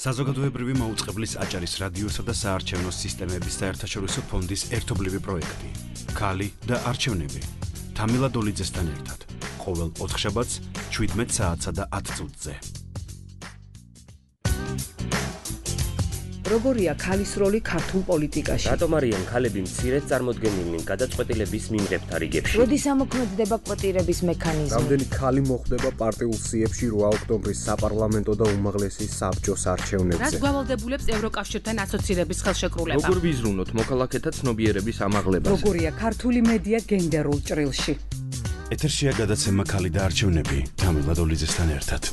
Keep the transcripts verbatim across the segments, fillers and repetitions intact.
საზოგადოებრივი მაუწყებლის აჭარის რადიოსა და საარჩევნო სისტემების საერთაშორისო ფონდის ერთობლივი პროექტი. ქალი და არჩევნები. თამილა დოლიძესთან ერთად. ყოველ ოთხშაბათს შვიდმეტ საათსა და ათ წუთზე. როგორია ქალის როლი ქართულ პოლიტიკაში? რატომ არიან ქალები მცირედ წარმოდგენილნი გადაწყვეტილების მიმღებთა რიგებში? როდის ამოქმედდება კვოტირების მექანიზმი? რამდენი ქალი მოხვდება პარტიულ სიებში რვა ოქტომბრის საპარლამენტო და უმაღლესი საბჭოს არჩევნებზე? რას გვალდებულებს ევროკავშირთან ასოცირების ხელშეკრულება? როგორ ვიზრუნოთ მოქალაქეთა ცნობიერების ამაღლებას? როგორია ქართული მედია გენდერულ ჭრილში? ეთერშია გადაცემა ქალი და არჩევნები თამილა დოლიძესთან ერთად.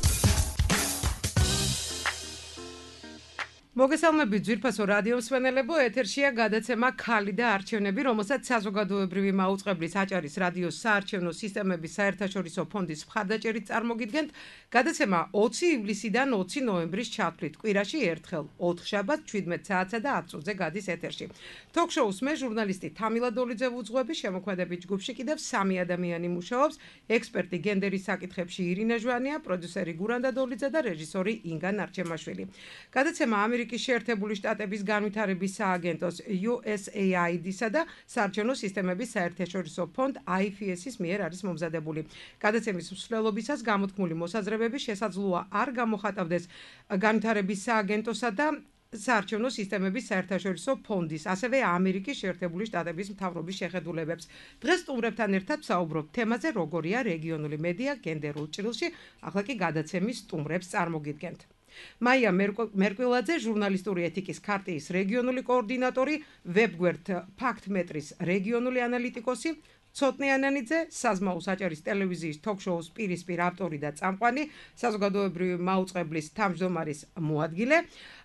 მოგესალმებით ძვირფასო რადიო მსმენელებო, ეთერშია გადაცემა ქალი და არჩევნები, რომელსაც საზოგადოებრივი მაუწყებლის აჭარის რადიოს საარჩევნო სისტემების საერთაშორისო ფონდის მხარდაჭერით წარმოგიდგენთ. გადაცემა ოცი ივლისიდან ოცი ნოემბრის ჩათვლით, კვირაში ერთხელ, ოთხშაბათს შვიდმეტ საათსა და ათ წუთზე გადის ეთერში. თოქ-შოუს მე ჟურნალისტი თამილა დოლიძე ვუძღვები, შემოქმედებით ჯგუფში კიდევ სამი ადამიანი მუშაობს, ექსპერტი გენდერის საკითხებში ირინა ჟვანია, პროდიუსერი გურანდა დოლიძე და რეჟისორი ინგა ნარჩემაშვილი. გადაცემა ამერიკის შეერთებული შტატების განვითარების სააგენტოს იუ ეს ეი აი დი-სა და საარჩევნო სისტემების საერთაშორისო ფონდ აი ეფ ეს-ის მიერ არის მომზადებული. გადაცემის მსვლელობისას გამოთქმული მოსაზრებები შესაძლოა არ გამოხატავდეს განვითარების სააგენტოსა და საარჩევნო სისტემების საერთაშორისო ფონდის, ასევე ამერიკის შეერთებული შტატების მთავრობის შეხედულებებს. დღეს სტუმრებთან ერთად ვსაუბრობთ თემაზე, როგორია რეგიონული მედია გენდერულ ჭრილში, ახლა კი გადაცემის სტუმრებს წარმოგიდგენთ. მაია მერკვილაძე, ჟურნალისტური ეთიკის ქარტიის რეგიონული კოორდინატორი, ვებგვერდ ფაქტმეტრის რეგიონული ანალიტიკოსი, ცოტნე ანანიძე, საზმაუს აჭარის ტელევიზიის თოქ-შოუს პირისპირ ავტორი და წამყვანი, საზოგადოებრივი მაუწყებლის თავმჯდომარის მოადგილე,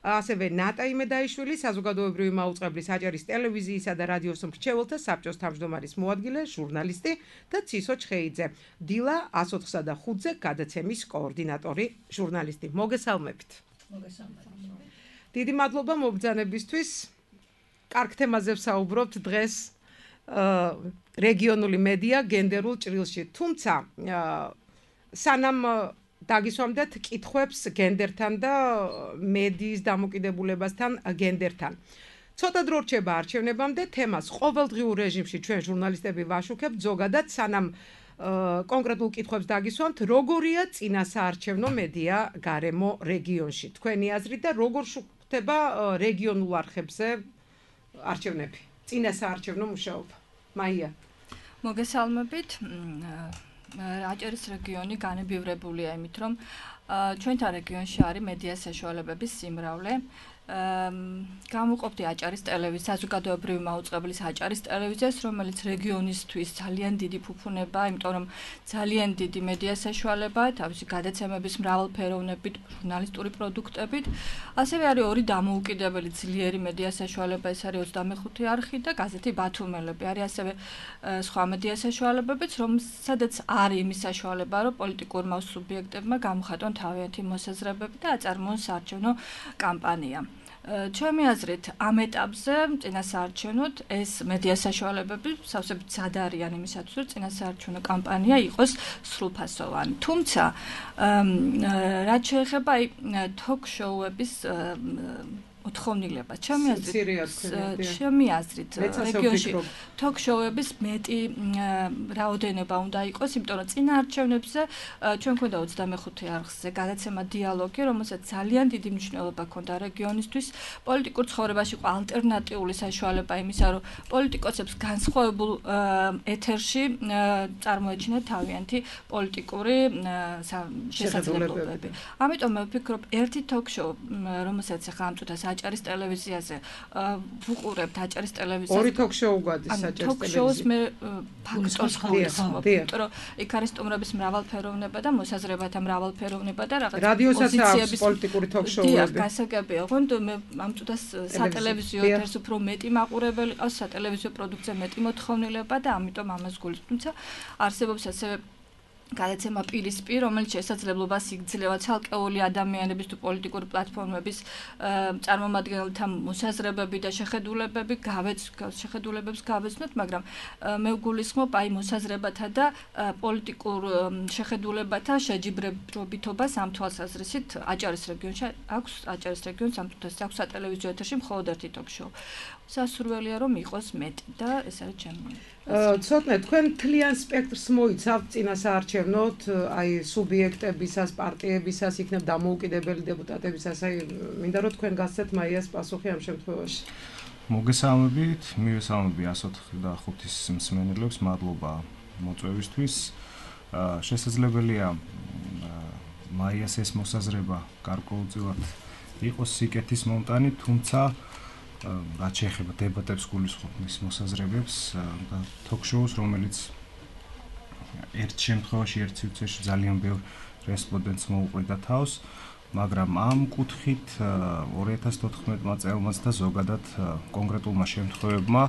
ასევე ნატა იმედაიშვილი, საზოგადოებრივი მაუწყებლის აჭარის ტელევიზიისა და რადიოს მრჩეველთა საბჭოს თავმჯდომარის მოადგილე, ჟურნალისტი და ცისო ჩხეიძე, დილა ას ოთხსა და ხუთზე გადაცემის კოორდინატორი, ჟურნალისტი. მოგესალმებით. მოგესალმებით. დიდი მადლობა მობრძანებისთვის. კარგ თემაზე ვსაუბრობთ დღეს. რეგიონული მედია გენდერულ ჭრილში. თუმცა სანამ დაგისვამდეთ კითხვებს გენდერთან და მედიის დამოკიდებულებასთან გენდერთან. ცოტა დრო რჩება არჩევნებამდე, თემას ყოველდღიურ რეჟიმში ჩვენ ჟურნალისტები ვაშუქებთ, ზოგადად სანამ კონკრეტულ კითხვებს დაგისვამთ, როგორია წინასაარჩევნო მედია გარემო რეგიონში. თქვენი აზრით და როგორ შუქდება რეგიონულ არხებზე არჩევნები. წინასაარჩევნო მუშაობა. მაია. მოგესალმებით. აჭარის რეგიონი განებივრებულია იმით, რომ ჩვენთან რეგიონში არის მედიას საშუალებების სიმრავლე. გამოყოფდი აჭარის ტელევიზია, საზოგადოებრივი მაუწყებლის აჭარის ტელევიზიას, რომელიც რეგიონისთვის ძალიან დიდი ფუფუნება, იმიტომ რომ ძალიან დიდი მედია საშუალებაა, თავისი გადაცემების მრავალფეროვნებით, ჟურნალისტური პროდუქტებით. ასევე არის ორი დამოუკიდებელი ძლიერი მედია საშუალება, ეს არის ოცდამეხუთე არხი და გაზეთი ბათუმელები. არის ასევე სხვა მედია საშუალებებიც, რომელსაც არის იმის საშუალება, რომ პოლიტიკურმა სუბიექტებმა გამოხატონ თავიანთი მოსაზრებები და აწარმოონ საარჩევნო კამპანია. ჩემი აზრით, ამ ეტაპზე წინასაარჩევნოდ ეს მედია საშუალებები სავსებით მზად არიან იმისათვის, რომ წინასაარჩევნო კამპანია იყოს სრულფასოვანი. თუმცა, რაც შეეხება თოქ-შოუების მოთხოვნილება, ჩემი აზრით, ჩემი აზრით, რეგიონში თოქ-შოუების მეტი რაოდენობა უნდა იყოს, იმიტომ რომ წინა არჩევნებზე ჩვენ გვქონდა ოცდამეხუთე არხზე გადაცემა დიალოგი, რომელსაც ძალიან დიდი მნიშვნელობა ჰქონდა რეგიონისთვის. პოლიტიკურ ცხოვრებაში ყო ალტერნატიული საშუალება იმისა, რომ პოლიტიკოსებს განსხვავებულ ეთერში წარმოეჩინათ თავიანთი პოლიტიკური შესაძლებლობები. ამიტომ მე ვფიქრობ, ერთი თოქ-შოუ, რომელსაც ახლა ამ წუთას აჭარის ტელევიზიაზე ვუყურებთ აჭარის ტელევიზიაზე. ორი თოქ-შოუ გადის აჭარის ტელევიზიაში. თოქ-შოუს მე ფაქტორს ხმობ, იმიტომ რომ იქ არის სტუმრების მრავალფეროვნება და მოსაზრებათა მრავალფეროვნება და რაღაც რადიოსაც აქვს პოლიტიკური თოქ-შოუები. დიახ, გასაგებია. ოღონდ მე ამ წუთას სატელევიზიო ეთერს უფრო მეტი მაყურებელი ყავს, სატელევიზიო პროდუქციაზე მეტი მოთხოვნილება და ამიტომ ამას გულისხმობ. თუმცა არსებობს ასევე გადაცემა პირისპირ, რომელიც შესაძლებლობას იძლევა ცალკეული ადამიანების თუ პოლიტიკური პლატფორმების წარმომადგენელთა მოსაზრებები და შეხედულებები გავეც შეხედულებებს გავეცნოთ, მაგრამ მე ვგულისხმობ აი მოსაზრებათა და პოლიტიკურ შეხედულებათა შეჯიბრებითობას ამ თვალსაზრისით აჭარის რეგიონში აქვს აჭარის რეგიონს ამ თვალსაზრისით აქვს სატელევიზიო ეთერში მხოლოდ ერთი ტოქ-შოუ. სასურველია რომ იყოს მეტი და ეს არის ჩემი. ცოტნე თქვენ თლიან სპექტრს მოიცავთ წინა საარჩევნოდ, აი სუბიექტებისას, პარტიებისას, იქნებ დამოუკიდებელი დეპუტატებისას, აი მინდა რომ თქვენ გასცეთ მაიას პასუხი ამ შემთხვევაში. მოგესალმებით, მივესალმები εκατს ოცდახუთის მსმენელებს, მადლობა მოწვევისთვის. შესაძლებელია მაიას ეს მოსაზრება გარკვეულწილად იყოს სიკეთის მომტანი, თუმცა რაც შეეხება დებატებს გულისხმობ მის მოსაზრებებს და თოქ-შოუს, რომელიც ერთ შემთხვევაში ერთ სივრცეში ძალიან ბევრ რესპონდენტს მოუყვრიდა თავს, მაგრამ ამ კუთხით ორი ათას თოთხმეტმა წელმაც და ზოგადად კონკრეტულმა შემთხვევებმა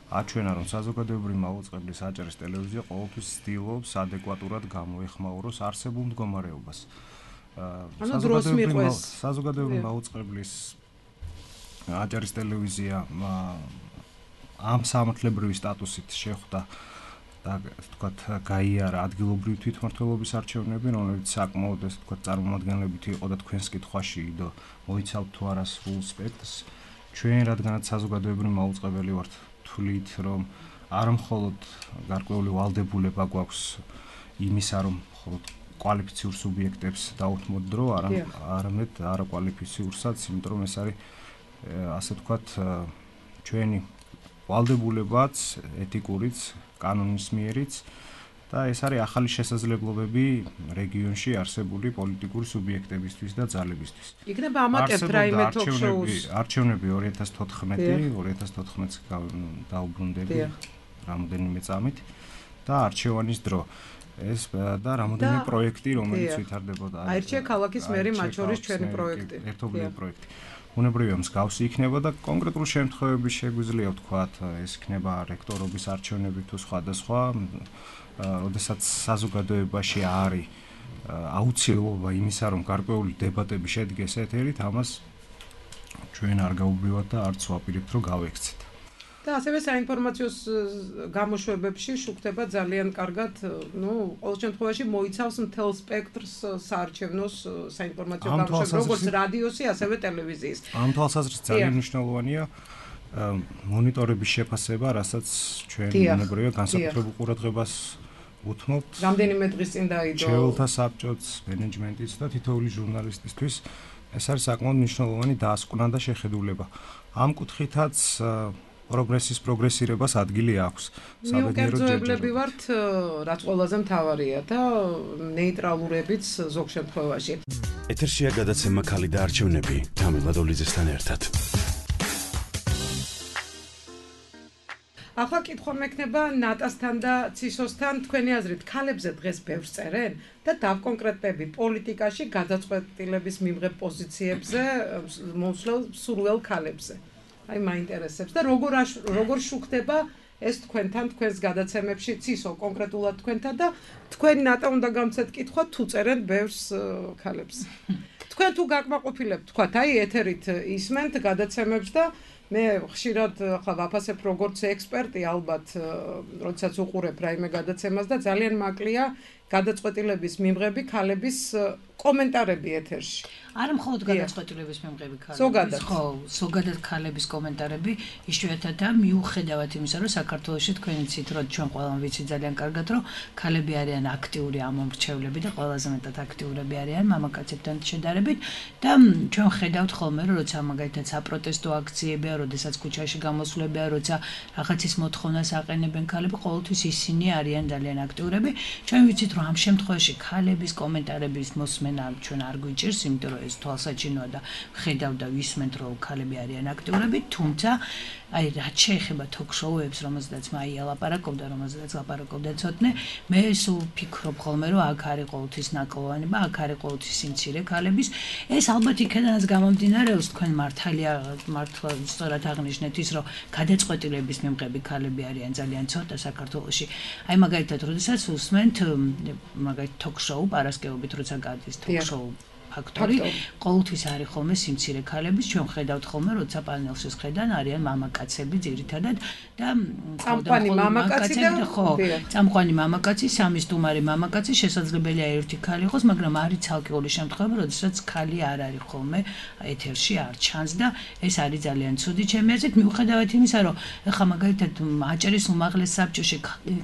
აჩვენა, რომ საზოგადოებრივი მაუწყებლის აჭარის ტელევიზია ყოველთვის ცდილობს ადეკვატურად გამოეხმაუროს არსებულ მდგომარეობას. საზოგადოებრივი მაუწყებლის აჭარის ტელევიზია ამ სამართლებრივი სტატუსით შეხვდა და თქვათ გაიარა ადგილობრივი თვითმმართველობის არჩევნები, რომელიც საკმაოდ ეს თქვათ წარმომადგენლებით იყო და თქვენს კითხვაში იდო მოიცავთ თუ არა სრულ სპექტრს. ჩვენ რადგანაც საზოგადოებრივი მაუწყებელი ვართ, თვლით რომ არ მხოლოდ გარკვეული ვალდებულება გვაქვს იმისა, რომ მხოლოდ კვალიფიციურ სუბიექტებს დაუთმოთ დრო, არამედ არაკვალიფიციურსაც, იმიტომ რომ ეს არის ასე თქვათ ჩვენი ვალდებულებაც, ეთიკურიც, კანონის მიერიც და ეს არის ახალი შესაძლებლობები რეგიონში არსებული პოლიტიკური სუბიექტებისთვის და ძალებისთვის. იქნება ამატებთ რაიმე თოქ-შოუს. არჩევნები ორი ათას თოთხმეტი, ორი ათას თოთხმეტს დაუბრუნდები რამოდენიმე წამით და არჩევანის დრო. ეს და რამოდენიმე პროექტი, რომელიც ვითარდებოდა. აირჩია ქალაქის მერი, მათ შორის ჩვენი პროექტი. ერთობლივი პროექტი. უნებრივია მსგავსი იქნება და კონკრეტულ შემთხვევებში შეგვიძლია ვთქვათ, ეს იქნება რექტორობის არჩევნები თუ სხვადასხვა, როდესაც საზოგადოებაში არის აუცილებლობა იმისა, რომ გარკვეული დებატები შედგეს ეთერით, ამას ჩვენ არ გაუბრიოთ და არც ვაპირებთ, რომ გავექცეთ. და ასევე საინფორმაციო გამოშვებებში შუქდება ძალიან კარგად, ну, ყოველ შემთხვევაში მოიცავს მთელ სპექტრს საარჩევნოს საინფორმაციო გამოშვებებს, როგორც რადიოსი, ასევე ტელევიზიის. ამ თვალსაზრისით ძალიან მნიშვნელოვანია მონიტორების შეფასება, რასაც ჩვენ უნებრივია განსაკუთრებულ ყურადღებას უთმობთ. რამდენიმე დღის წინ დაიდო ჩვეულთა საბჭოც, მენეჯმენტიც და თითოეული ჟურნალისტისთვის ეს არის საკმაოდ მნიშვნელოვანი დაასკვნა და შეხედულება. ამ კუთხითაც პროგრესის პროგრესირებას ადგილი აქვს. მიკერძოებლები ვართ, რაც ყველაზე მთავარია და ნეიტრალურებიც ზოგ შემთხვევაში. ეთერშია გადაცემა ქალი და არჩევნები თამილა დოლიძესთან ერთად. ახლა კითხვა მექნება ნატასთან და ცისოსთან, თქვენი აზრით, ქალებზე დღეს ბევრს წერენ და დავკონკრეტები პოლიტიკაში გადაწყვეტილების მიმღებ პოზიციებზე, მოსვლელ სურველ ქალებზე. აი მაინტერესებს და როგორ როგორ შუქდება ეს თქვენთან თქვენს გადაცემებში ცისო კონკრეტულად თქვენთან და თქვენ ნატა უნდა გამცეთ კითხვა თუ წერენ ბევრს ქალებს. თქვენ თუ გაკმაყოფილებთ, თქვათ, აი ეთერით ისმენთ გადაცემებს და მე ხშირად ხა ვაფასებ როგორც ექსპერტი ალბათ, როდესაც უყურებ რაიმე გადაცემას და ძალიან მაკლია გადაწყვეტილების მიმღები ქალების კომენტარები ეთერში. არა მხოლოდ გადაწყვეტილების მიმღები ქალების, ხო, ზოგადად ქალების კომენტარები, იშვიათადაა მიუხედავად იმისა, რომ საქართველოში თქვენი ცით, რომ ჩვენ ყველამ ვიცი ძალიან კარგად, რომ ქალები არიან აქტიური ამომრჩევლები და ყველაზე მეტად აქტიურები არიან მამაკაცებთან შედარებით და ჩვენ ხედავთ ხოლმე, რომ როცა მაგალითად საპროტესტო აქციებია, როდესაც ქუჩაში გამოსვლებია, როცა რაღაცის მოთხოვნას აყენებენ ქალები, ყოველთვის ისინი არიან ძალიან აქტიურები. ჩვენ ვიცით, რომ ამ შემთხვევაში ქალების კომენტარების მოსმენა ჩვენ არ გვიჭირს, იმიტომ რომ ეს თვალსაჩინოა და ხედავ და ვისმენთ, რომ ქალები არიან აქტიურები, თუმცა აი რაც შეეხება თოქ-შოუებს, რომელზედაც მაია ლაპარაკობდა, რომელზედაც ლაპარაკობდა ცოტნე, მე სულ ვფიქრობ ხოლმე, რომ აქ არის ყოველთვის ნაკლოვანება, აქ არის ყოველთვის სიმცირე ქალების. ეს ალბათ იქედანაც გამომდინარეობს, თქვენ მართალია მართლა სწორად აღნიშნეთ ის, რომ გადაწყვეტილების მიმღები ქალები არიან ძალიან ცოტა საქართველოში. აი მაგალითად, როდესაც უსმენთ მაგალითად ток-შოუ პარასკევობით როცა გადის ток-შოუ ფაქტორი ყოველთვის არის ხოლმე სიმცირე ქალების ჩვენ ხედავთ ხოლმე როცა პანელში ხედან არიან მამაკაცები ძირითადად და წამყვანი მამაკაცი და ხო წამყვანი მამაკაცი სამი სტუმარი მამაკაცი შესაძლებელია ერთი ქალი იყოს მაგრამ არის ცალკეული შემთხვევა როდესაც ქალი არ არის ხოლმე ეთერში არ ჩანს და ეს არის ძალიან ცუდი ჩემი აზრით მიუხედავად იმისა რომ ეხლა მაგალითად აჭარის უმაღლეს საბჭოში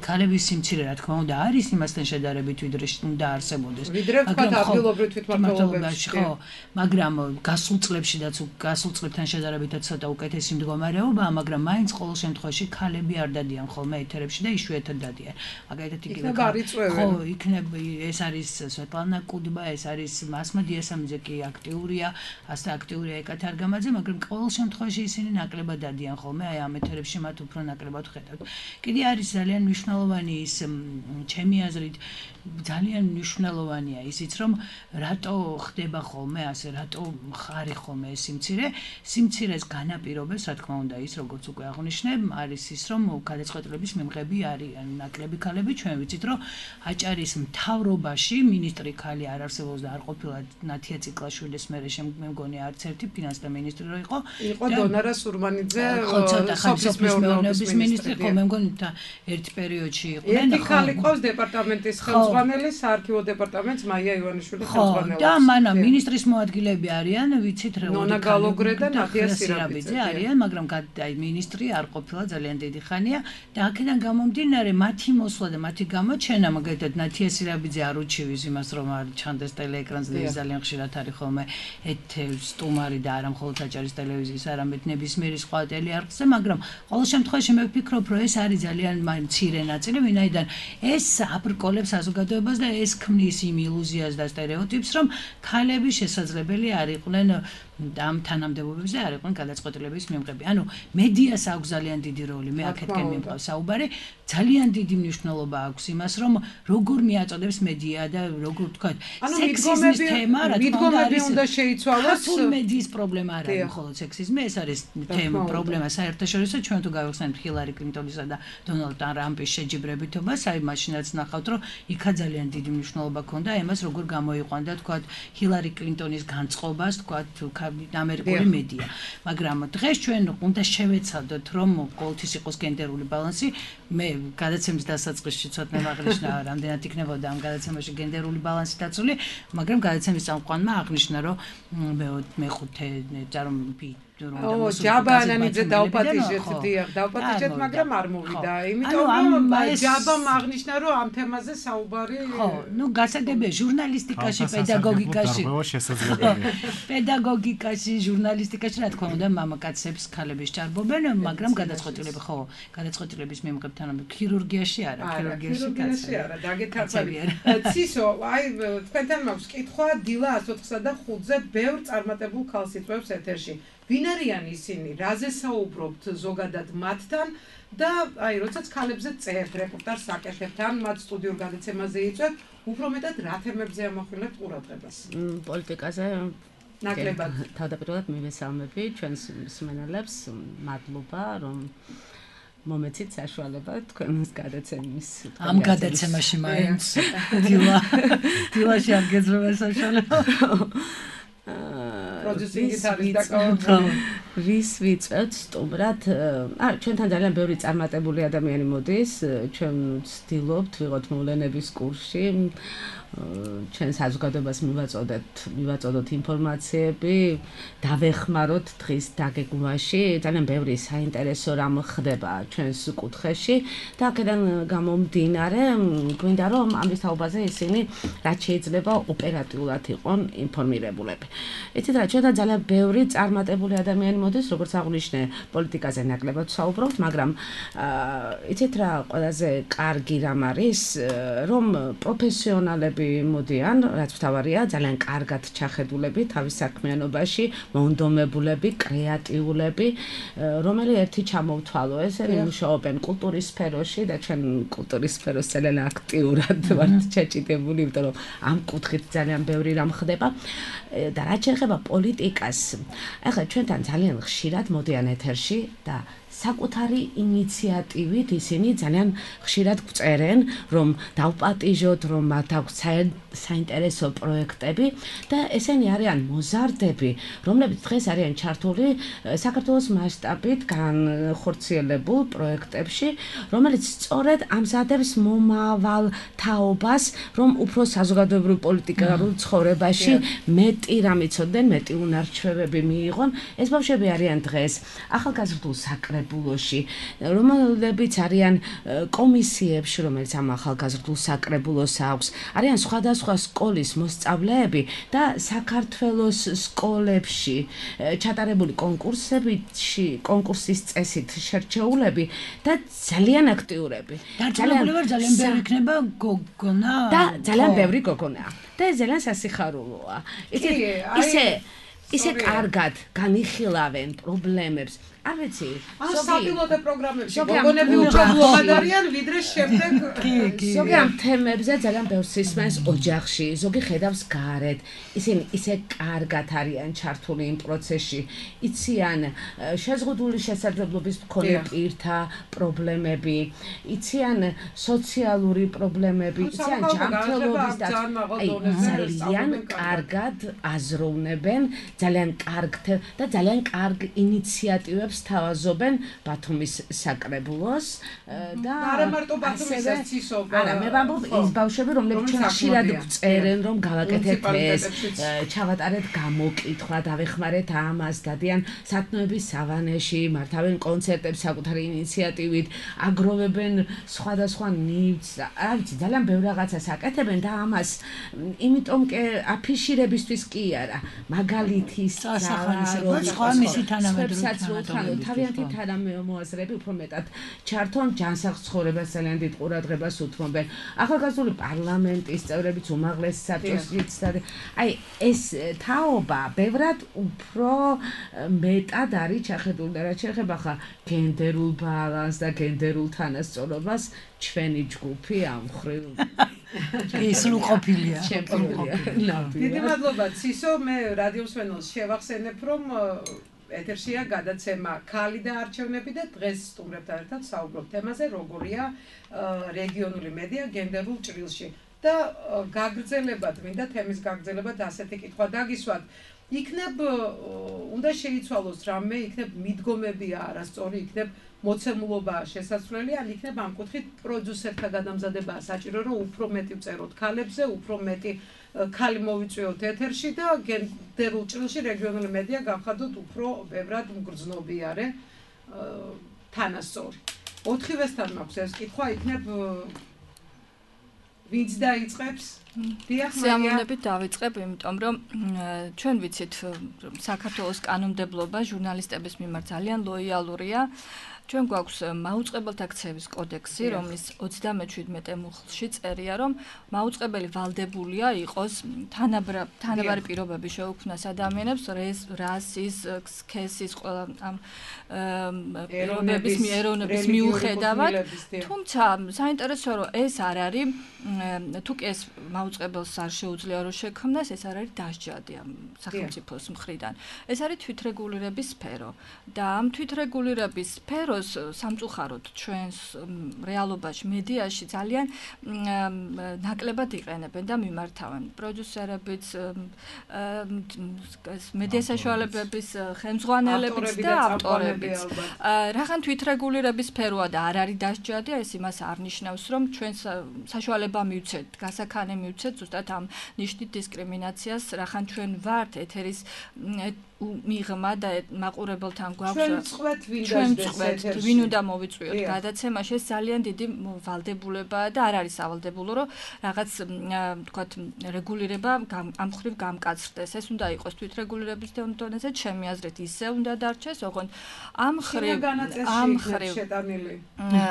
ქალების სიმცირე რა თქმა უნდა არის იმასთან შედარებით ვიდრე უნდა არსებობდეს ვიდრე თქვა ადგილობრივ თვითმმართველობებში ხო მაგრამ გასულ წლებშიდაც გასულ წლებთან შედარებითაც ცოტა უკეთესი მდგომარეობაა მაგრამ მაინც ყოველ შემთხვევაში ქალები არ დადიან ხოლმე ეთერებში და იშვიათად დადიან მაგალითად იგივე ხო იქნება ეს არის სვეტლანა კუდბა ეს არის მასმა დიასამიძე კი აქტიურია ასე აქტიურია ეკათა არგამაძე მაგრამ ყოველ შემთხვევაში ისინი ნაკლებად დადიან ხოლმე აი ამ ეთერებში მათ უფრო ნაკლებად ხედავთ კიდე არის ძალიან მნიშვნელოვანი ის ჩემი აზრით ძალიან მნიშვნელოვანია ისიც რომ რატო ხდება ხოლმე ასე რატო ხარი ხოლმე ეს სიმცირე სიმცირეს განაპირობებს რა თქმა უნდა ის როგორც უკვე აღნიშნე არის ის რომ გადაწყვეტილების მიმღები არიან ნაკლები ქალები ჩვენ ვიცით რომ აჭარის მთავრობაში მინისტრი ქალი არ არსებობს და არ ყოფილა ნათია ციკლაშვილის მერე მე მგონი არც ერთი ფინანსთა მინისტრი რო იყო იყო დონარა სურმანიძე სოფლის მეურნეობის მინისტრი ხო მე მგონი და ერთ პერიოდში იყვნენ ერთი ქალი ყავს დეპარტამენტის ხელმძღვანელი საარქივო დეპარტამენტს მაია ივანიშვილი ხელმძღვანელი და მანა მინისტრის მოადგილეები არიან ვიცით რა ნონა გალოგრე და ნათია სირაბიძე არიან მაგრამ აი მინისტრი არ ყოფილა ძალიან დიდი ხანია და აქედან გამომდინარე მათი მოსვლა და მათი გამოჩენა მაგალითად ნათია სირაბიძე არ უჩივის იმას რომ არ ჩანდეს ტელეეკრანზე და ძალიან ხშირად არის ხოლმე ეთერ სტუმარი და არა მხოლოდ აჭარის ტელევიზიის არამედ ნებისმიერი სხვა ტელეარხზე მაგრამ ყოველ შემთხვევაში მე ვფიქრობ რომ ეს არის ძალიან მცირე ნაწილი ვინაიდან ეს აბრკოლებს საზოგადოებას და ეს ქმნის იმ ილუზიას და სტერეოტიპს რომ ქალები შესაძლებელი არ იყვნენ ამ თანამდებობებზე არ იყვნენ გადაწყვეტილების მიმღები. ანუ მედიას აქვს ძალიან დიდი როლი, მე აქეთკენ მიმყავს საუბარი, ძალიან დიდი მნიშვნელობა აქვს იმას, რომ როგორ მიაწოდებს მედია და როგორ თქვა, სექსიზმის თემა, რა თქმა უნდა, არის უნდა შეიცვალოს. ქართული მედიის პრობლემა არ არის მხოლოდ სექსიზმი, ეს არის თემა, პრობლემა საერთაშორისო, ჩვენ თუ გავიხსენებთ ჰილარი კლინტონისა და დონალდ ტრამპის შეჯიბრებითობას, აი მაშინაც ნახავთ, რომ იქა ძალიან დიდი მნიშვნელობა ჰქონდა იმას, როგორ გამოიყვანდა, თქვა, ჰილარი კლინტონის განწყობას, თქვა, ამერიკული მედია. მაგრამ დღეს ჩვენ უნდა შევეცადოთ, რომ ყოველთვის იყოს გენდერული ბალანსი. მე გადაცემის დასაწყისში ცოტა აღნიშნა, რამდენად იქნებოდა ამ გადაცემაში გენდერული ბალანსი დაცული, მაგრამ გადაცემის წამყვანმა აღნიშნა, რომ მეხუთე წარმომი ო ჯაბა ანანიძე დაუპატიჟეთ დიახ დაუპატიჟეთ მაგრამ არ მოვიდა იმიტომ რომ ჯაბამ აღნიშნა რომ ამ თემაზე საუბარი ხო ნუ გასაგებია ჟურნალისტიკაში პედაგოგიკაში პედაგოგიკაში ჟურნალისტიკაში რა თქმა უნდა მამაკაცებს ქალებს ჭარბობენ მაგრამ გადაწყვეტილები ხო გადაწყვეტილების მიმღებ თანამედროვე ქირურგიაში არა ქირურგიაში არა დაგეთარწავია ცისო აი თქვენთან მაქვს კითხვა დილა ათს ოთხსა და ხუთზე ბევრ წარმატებულ ქალს იწვევს ეთერში ვინ არიან ისინი, რაზე საუბრობთ ზოგადად მათთან და აი როდესაც ქალებზე წერთ რეპორტაჟს აკეთებთ ან მათ სტუდიურ გადაცემაზე იწვევთ, უფრო მეტად რა თემებზე ამახვილებთ ყურადღებას? პოლიტიკაზე ნაკლებად. თავდაპირველად მივესალმები ჩვენს მსმენელებს, მადლობა რომ მომეცით საშუალება თქვენს გადაცემის ამ გადაცემაში მაინც დილა დილაში არ გეძრება საშუალება პროდიუსინგით არის დაკავებული. ვის ვიწევთ სტუმრად? აა ჩვენთან ძალიან ბევრი წარმატებული ადამიანი მოდის, ჩვენ ვცდილობთ ვიღოთ მოვლენების კურსში. ჩვენ საზოგადოებას მივაწოდეთ, მივაწოდოთ ინფორმაციები, დავეხმაროთ დღის დაგეგმვაში, ძალიან ბევრი საინტერესო რამ ხდება ჩვენს კუთხეში და აქედან გამომდინარე, გვინდა რომ ამის თაობაზე ისინი რაც შეიძლება ოპერატიულად იყვნენ ინფორმირებულები. იცით რა, ჩვენთან ძალიან ბევრი წარმატებული ადამიანი მოდის, როგორც აღნიშნე, პოლიტიკაზე ნაკლებად საუბრობთ, მაგრამ იცით რა, ყველაზე კარგი რამ არის, რომ პროფესიონალები მოდიან, რაც მთავარია, ძალიან კარგად ჩახედულები თავის საქმიანობაში, მოუნდომებულები, კრეატიულები, რომელი ერთი ჩამოვთვალო, ესენი მუშაობენ კულტურის სფეროში და ჩვენ კულტურის სფეროს ძალიან აქტიურად ვართ ჩაჭიდებული, იმიტომ რომ ამ კუთხით ძალიან ბევრი რამ ხდება და რაც შეეხება პოლიტიკას, ახლა ჩვენთან ძალიან ხშირად მოდიან ეთერში და საკუთარი ინიციატივით ისინი ძალიან ხშირად გვწერენ, რომ დავპატიჟოთ, რომ მათ აქვს საინტერესო პროექტები და ესენი არიან მოზარდები, რომლებიც დღეს არიან ჩართული საქართველოს მასშტაბით განხორციელებულ პროექტებში, რომელიც სწორედ ამზადებს მომავალ თაობას, რომ უფრო საზოგადოებრივ პოლიტიკურ ცხოვრებაში მეტი რამ იცოდნენ, მეტი უნარჩვევები მიიღონ. ეს ბავშვები არიან დღეს ახალგაზრდულ საკრებულოში, რომლებიც არიან კომისიებში, რომელიც ამ ახალგაზრდულ საკრებულოს აქვს, არიან სხვადასხვა სკოლის მოსწავლეები და საქართველოს სკოლებში ჩატარებული კონკურსებში, კონკურსის წესით შერჩეულები და ძალიან აქტიურები. ძალიან ძალიან ბევრი იქნება გოგონა და ძალიან ბევრი გოგონაა. და ეს ძალიან სასიხარულოა. იცით, ისე ისე კარგად განიხილავენ პრობლემებს. არ ვიცი, საპილოტო პროგრამებში გოგონები უფრო ბლოგად არიან, ვიდრე შემდეგ ზოგი ამ თემებზე ძალიან ბევრს ისმენს ოჯახში, ზოგი ხედავს გარეთ. ისინი ისე კარგად არიან ჩართული იმ პროცესში. იციან შეზღუდული შესაძლებლობის მქონე პირთა პრობლემები, იციან სოციალური პრობლემები, იციან ჯანმრთელობის და ძალიან კარგად აზროვნებენ, ძალიან კარგ და ძალიან კარგ ინიციატივებს თავაზობენ ბათუმის საკრებულოს და არა მარტო ბათუმის ცისობა. არა, მე ვამბობ ის ბავშვები, რომლებიც ხშირად გვწერენ, რომ გავაკეთეთ ეს, ჩავატარეთ გამოკითხვა, დავეხმარეთ ამას, დადიან სათნოების სავანეში, მართავენ კონცერტებს საკუთარი ინიციატივით, აგროვებენ სხვადასხვა ნივთს, რა ვიცი, ძალიან ბევრ რაღაცას აკეთებენ და ამას იმიტომ კი აფიშირებისთვის კი არა, მაგალითის სახალისება, სხვა მისი თანამედროვე თავიანთი თანამოაზრეები უფრო მეტად ჩართონ ჯანსაღ ცხოვრებას, ძალიან დიდ ყურადღებას უთმობენ. ახალგაზრდული პარლამენტის წევრებიც უმაღლეს საბჭოსიც და აი ეს თაობა ბევრად უფრო მეტად არის ჩახედული და რაც შეეხება ხა გენდერულ ბალანსს და გენდერულ თანასწორობას, ჩვენი ჯგუფი ამ მხრივ ის სრულყოფილია. დიდი მადლობა ცისო, მე რადიო მსმენელს შევახსენებ, რომ ეთერშია გადაცემა ქალი და არჩევნები და დღეს სტუმრებთან ერთად საუბრობ თემაზე, როგორია რეგიონული მედია გენდერულ ჭრილში. და გაგრძელებად, მინდა თემის გაგრძელებად ასეთი კითხვა დაგისვათ. იქნებ უნდა შეიცვალოს რამე, იქნებ მიდგომებია არასწორი, იქნებ მოცემულობა შესაძლებელი, ან იქნებ ამ კუთხით პროდიუსერთა გადამზადებაა საჭირო, რომ უფრო მეტი ვწეროთ ქალებზე, უფრო მეტი ქალი მოვიწვიოთ ეთერში და გენდერულ ჭრილში რეგიონული მედია გავხადოთ უფრო ბევრად მგრძნობიარე თანასწორი. ოთხივესთან მაქვს ეს კითხვა, იქნებ ვინც დაიწყებს? სიამოვნებით დავიწყებ, იმიტომ რომ ჩვენ ვიცით, საქართველოს კანონმდებლობა ჟურნალისტების მიმართ ძალიან ლოიალურია. ჩვენ გვაქვს მაუწყებელთა ქცევის კოდექსი, რომლის ოცდამეჩვიდმეტე მუხლში წერია, რომ მაუწყებელი ვალდებულია იყოს თანაბარი პირობები შეუქმნას ადამიანებს რასის, სქესის, ყველა ამ პირობების ეროვნების მიუხედავად. თუმცა საინტერესოა, რომ ეს არ არის, თუ კი ეს მაუწყებელს არ შეუძლია რომ შექმნას, ეს არ არის დასჯადი ამ სახელმწიფოს მხრიდან. ეს არის თვითრეგულირების სფერო და ამ თვითრეგულირების სფერო სამწუხაროდ ჩვენს რეალობაში მედიაში ძალიან ნაკლებად იყენებენ და მიმართავენ პროდიუსერებიც, მედია საშუალებების ხელმძღვანელებიც და ავტორებიც. რახან თვითრეგულირების სფეროა და არ არის დასჯადი, ეს იმას არ ნიშნავს, რომ ჩვენს საშუალება მივცეთ, გასაქანე მივცეთ ზუსტად ამ ნიშნით დისკრიმინაციას, რახან ჩვენ ვართ ეთერის მიღმა და მაყურებელთან გვაქვს ჩვენ წყვეთ ვინ უნდა მოვიწვიოთ გადაცემაში, ეს ძალიან დიდი ვალდებულებაა და არ არის სავალდებულო, რომ რაღაც თქვათ რეგულირება ამ მხრივ გამკაცრდეს. ეს უნდა იყოს თვითრეგულირების დონეზე, ჩემი აზრით ისე უნდა დარჩეს, ოღონდ ამ მხრივ ამ მხრივ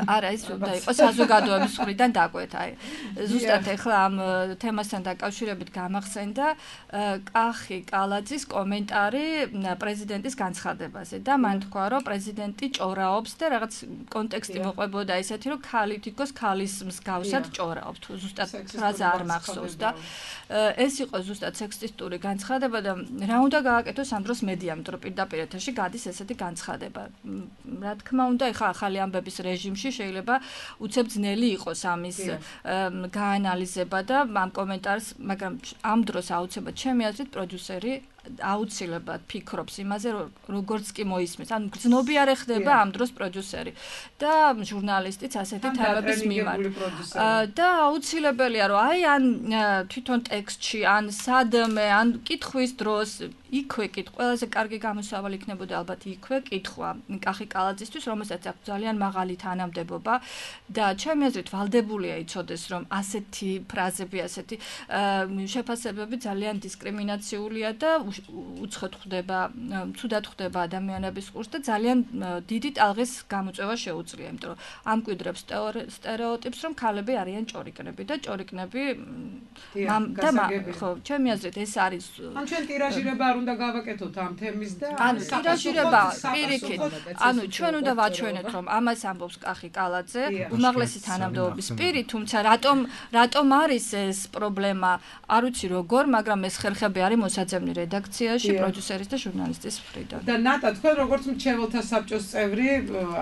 არა, ის უნდა იყოს საზოგადოების მხრიდან დაკვეთა. აი ზუსტად ეხლა ამ თემასთან დაკავშირებით გამახსენდა კახი კალაძის კომენტარი პრეზიდენტის განცხადებაზე და მან თქვა, რომ პრეზიდენტი ჭორაობს და რაღაც კონტექსტი მოყვებოდა ისეთი, რომ ქალი თითქოს ქალის მსგავსად ჭორაობს, თუ ზუსტად ფრაზა არ მახსოვს და ეს იყო ზუსტად სექსისტური განცხადება და რა უნდა გააკეთოს ამ დროს მედიამ, იმიტომ რომ პირდაპირ ეთერში გადის ესეთი განცხადება. რა თქმა უნდა, ეხა ახალი ამბების რეჟიმში შეიძლება უცებ ძნელი იყოს ამის გაანალიზება და ამ კომენტარს, მაგრამ ამ დროს აუცილებლად ჩემი აზრით პროდიუსერი აუცილებლად ფიქრობს იმაზე, როგორც კი მოისმის. ანუ გრძნობიარე ხდება ამ დროს პროდიუსერი და ჟურნალისტიც ასეთი თემების მიმართ. და აუცილებელია, რომ აი ან თვითონ ტექსტში, ან სადმე, ან კითხვის დროს იქვე კითხვა, ყველაზე კარგი გამოსავალი იქნებოდა ალბათ იქვე კითხვა კახი კალაძისთვის, რომელსაც აქვს ძალიან მაღალი თანამდებობა და ჩემი აზრით ვალდებულია იცოდეს, რომ ასეთი ფრაზები, ასეთი შეფასებები ძალიან დისკრიმინაციულია და უცხოდ ხდება, ცუდად ხდება ადამიანების ყურს და ძალიან დიდი ტალღის გამოწვევა შეუძლია, იმიტომ რომ ამკვიდრებს სტერეოტიპს, რომ ქალები არიან ჭორიკნები და ჭორიკნები და ხო, ჩემი აზრით ეს არის. ან ჩვენ ტირაჟირება არ უნდა გავაკეთოთ ამ თემის და ანუ ტირაჟირება პირიქით, ანუ ჩვენ უნდა ვაჩვენოთ, რომ ამას ამბობს კახი კალაძე, უმაღლესი თანამდებობის პირი, თუმცა რატომ რატომ არის ეს პრობლემა, არ ვიცი როგორ, მაგრამ ეს ხერხები არის მოსაძებნი რედაქციაში, პროდიუსერის და ჟურნალისტის მხრიდან. და ნატა, თქვენ როგორც მრჩეველთა საბჭოს წევრი,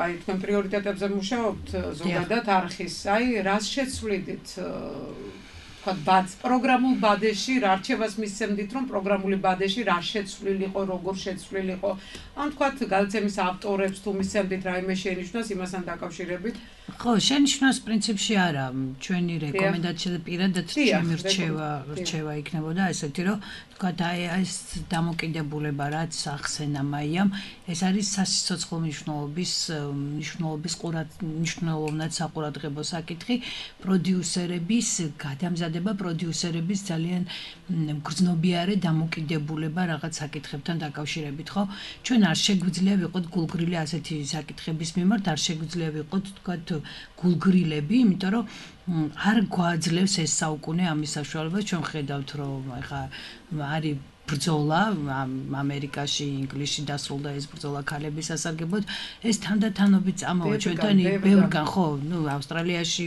აი თქვენ პრიორიტეტებზე მუშაობთ ზოგადად არხის, აი რას შეცვლიდით თქვა ბად პროგრამულ ბადეში რა რჩევას მისცემდით, რომ პროგრამული ბადეში რა შეცვლილიყო, როგორ შეცვლილიყო, ან თქვა გადაცემის ავტორებს თუ მისცემდით რაიმე შენიშვნას იმასთან დაკავშირებით? ხო, შენიშვნას პრინციპში არა, ჩვენი რეკომენდაცია და პირადად ჩემი რჩევა რჩევა იქნებოდა ესეთი, რომ თქვა აი ეს დამოკიდებულება რაც ახსენა მაიამ, ეს არის სასიცოცხლო მნიშვნელობის მნიშვნელობის ყურად მნიშვნელოვნად საყურადღებო საკითხი, პროდიუსერების გადამზადება, პროდიუსერების ძალიან გრძნობიარე დამოკიდებულება რაღაც საკითხებთან დაკავშირებით, ხო? ჩვენ არ შეგვიძლია ვიყოთ გულგრილი ასეთი საკითხების მიმართ, არ შეგვიძლია ვიყოთ თქვა გულგრილები, იმიტომ რომ არ გვაძლევს ეს საუკუნე ამის საშუალებას, ჩვენ ხედავთ, რომ ეხა არის ბრძოლა ამერიკაში, ინგლისში დასრულდა ეს ბრძოლა ქალების სასარგებლოდ, ეს თანდათანობით წამოვა ჩვენთან ბევრგან, ხო, ნუ ავსტრალიაში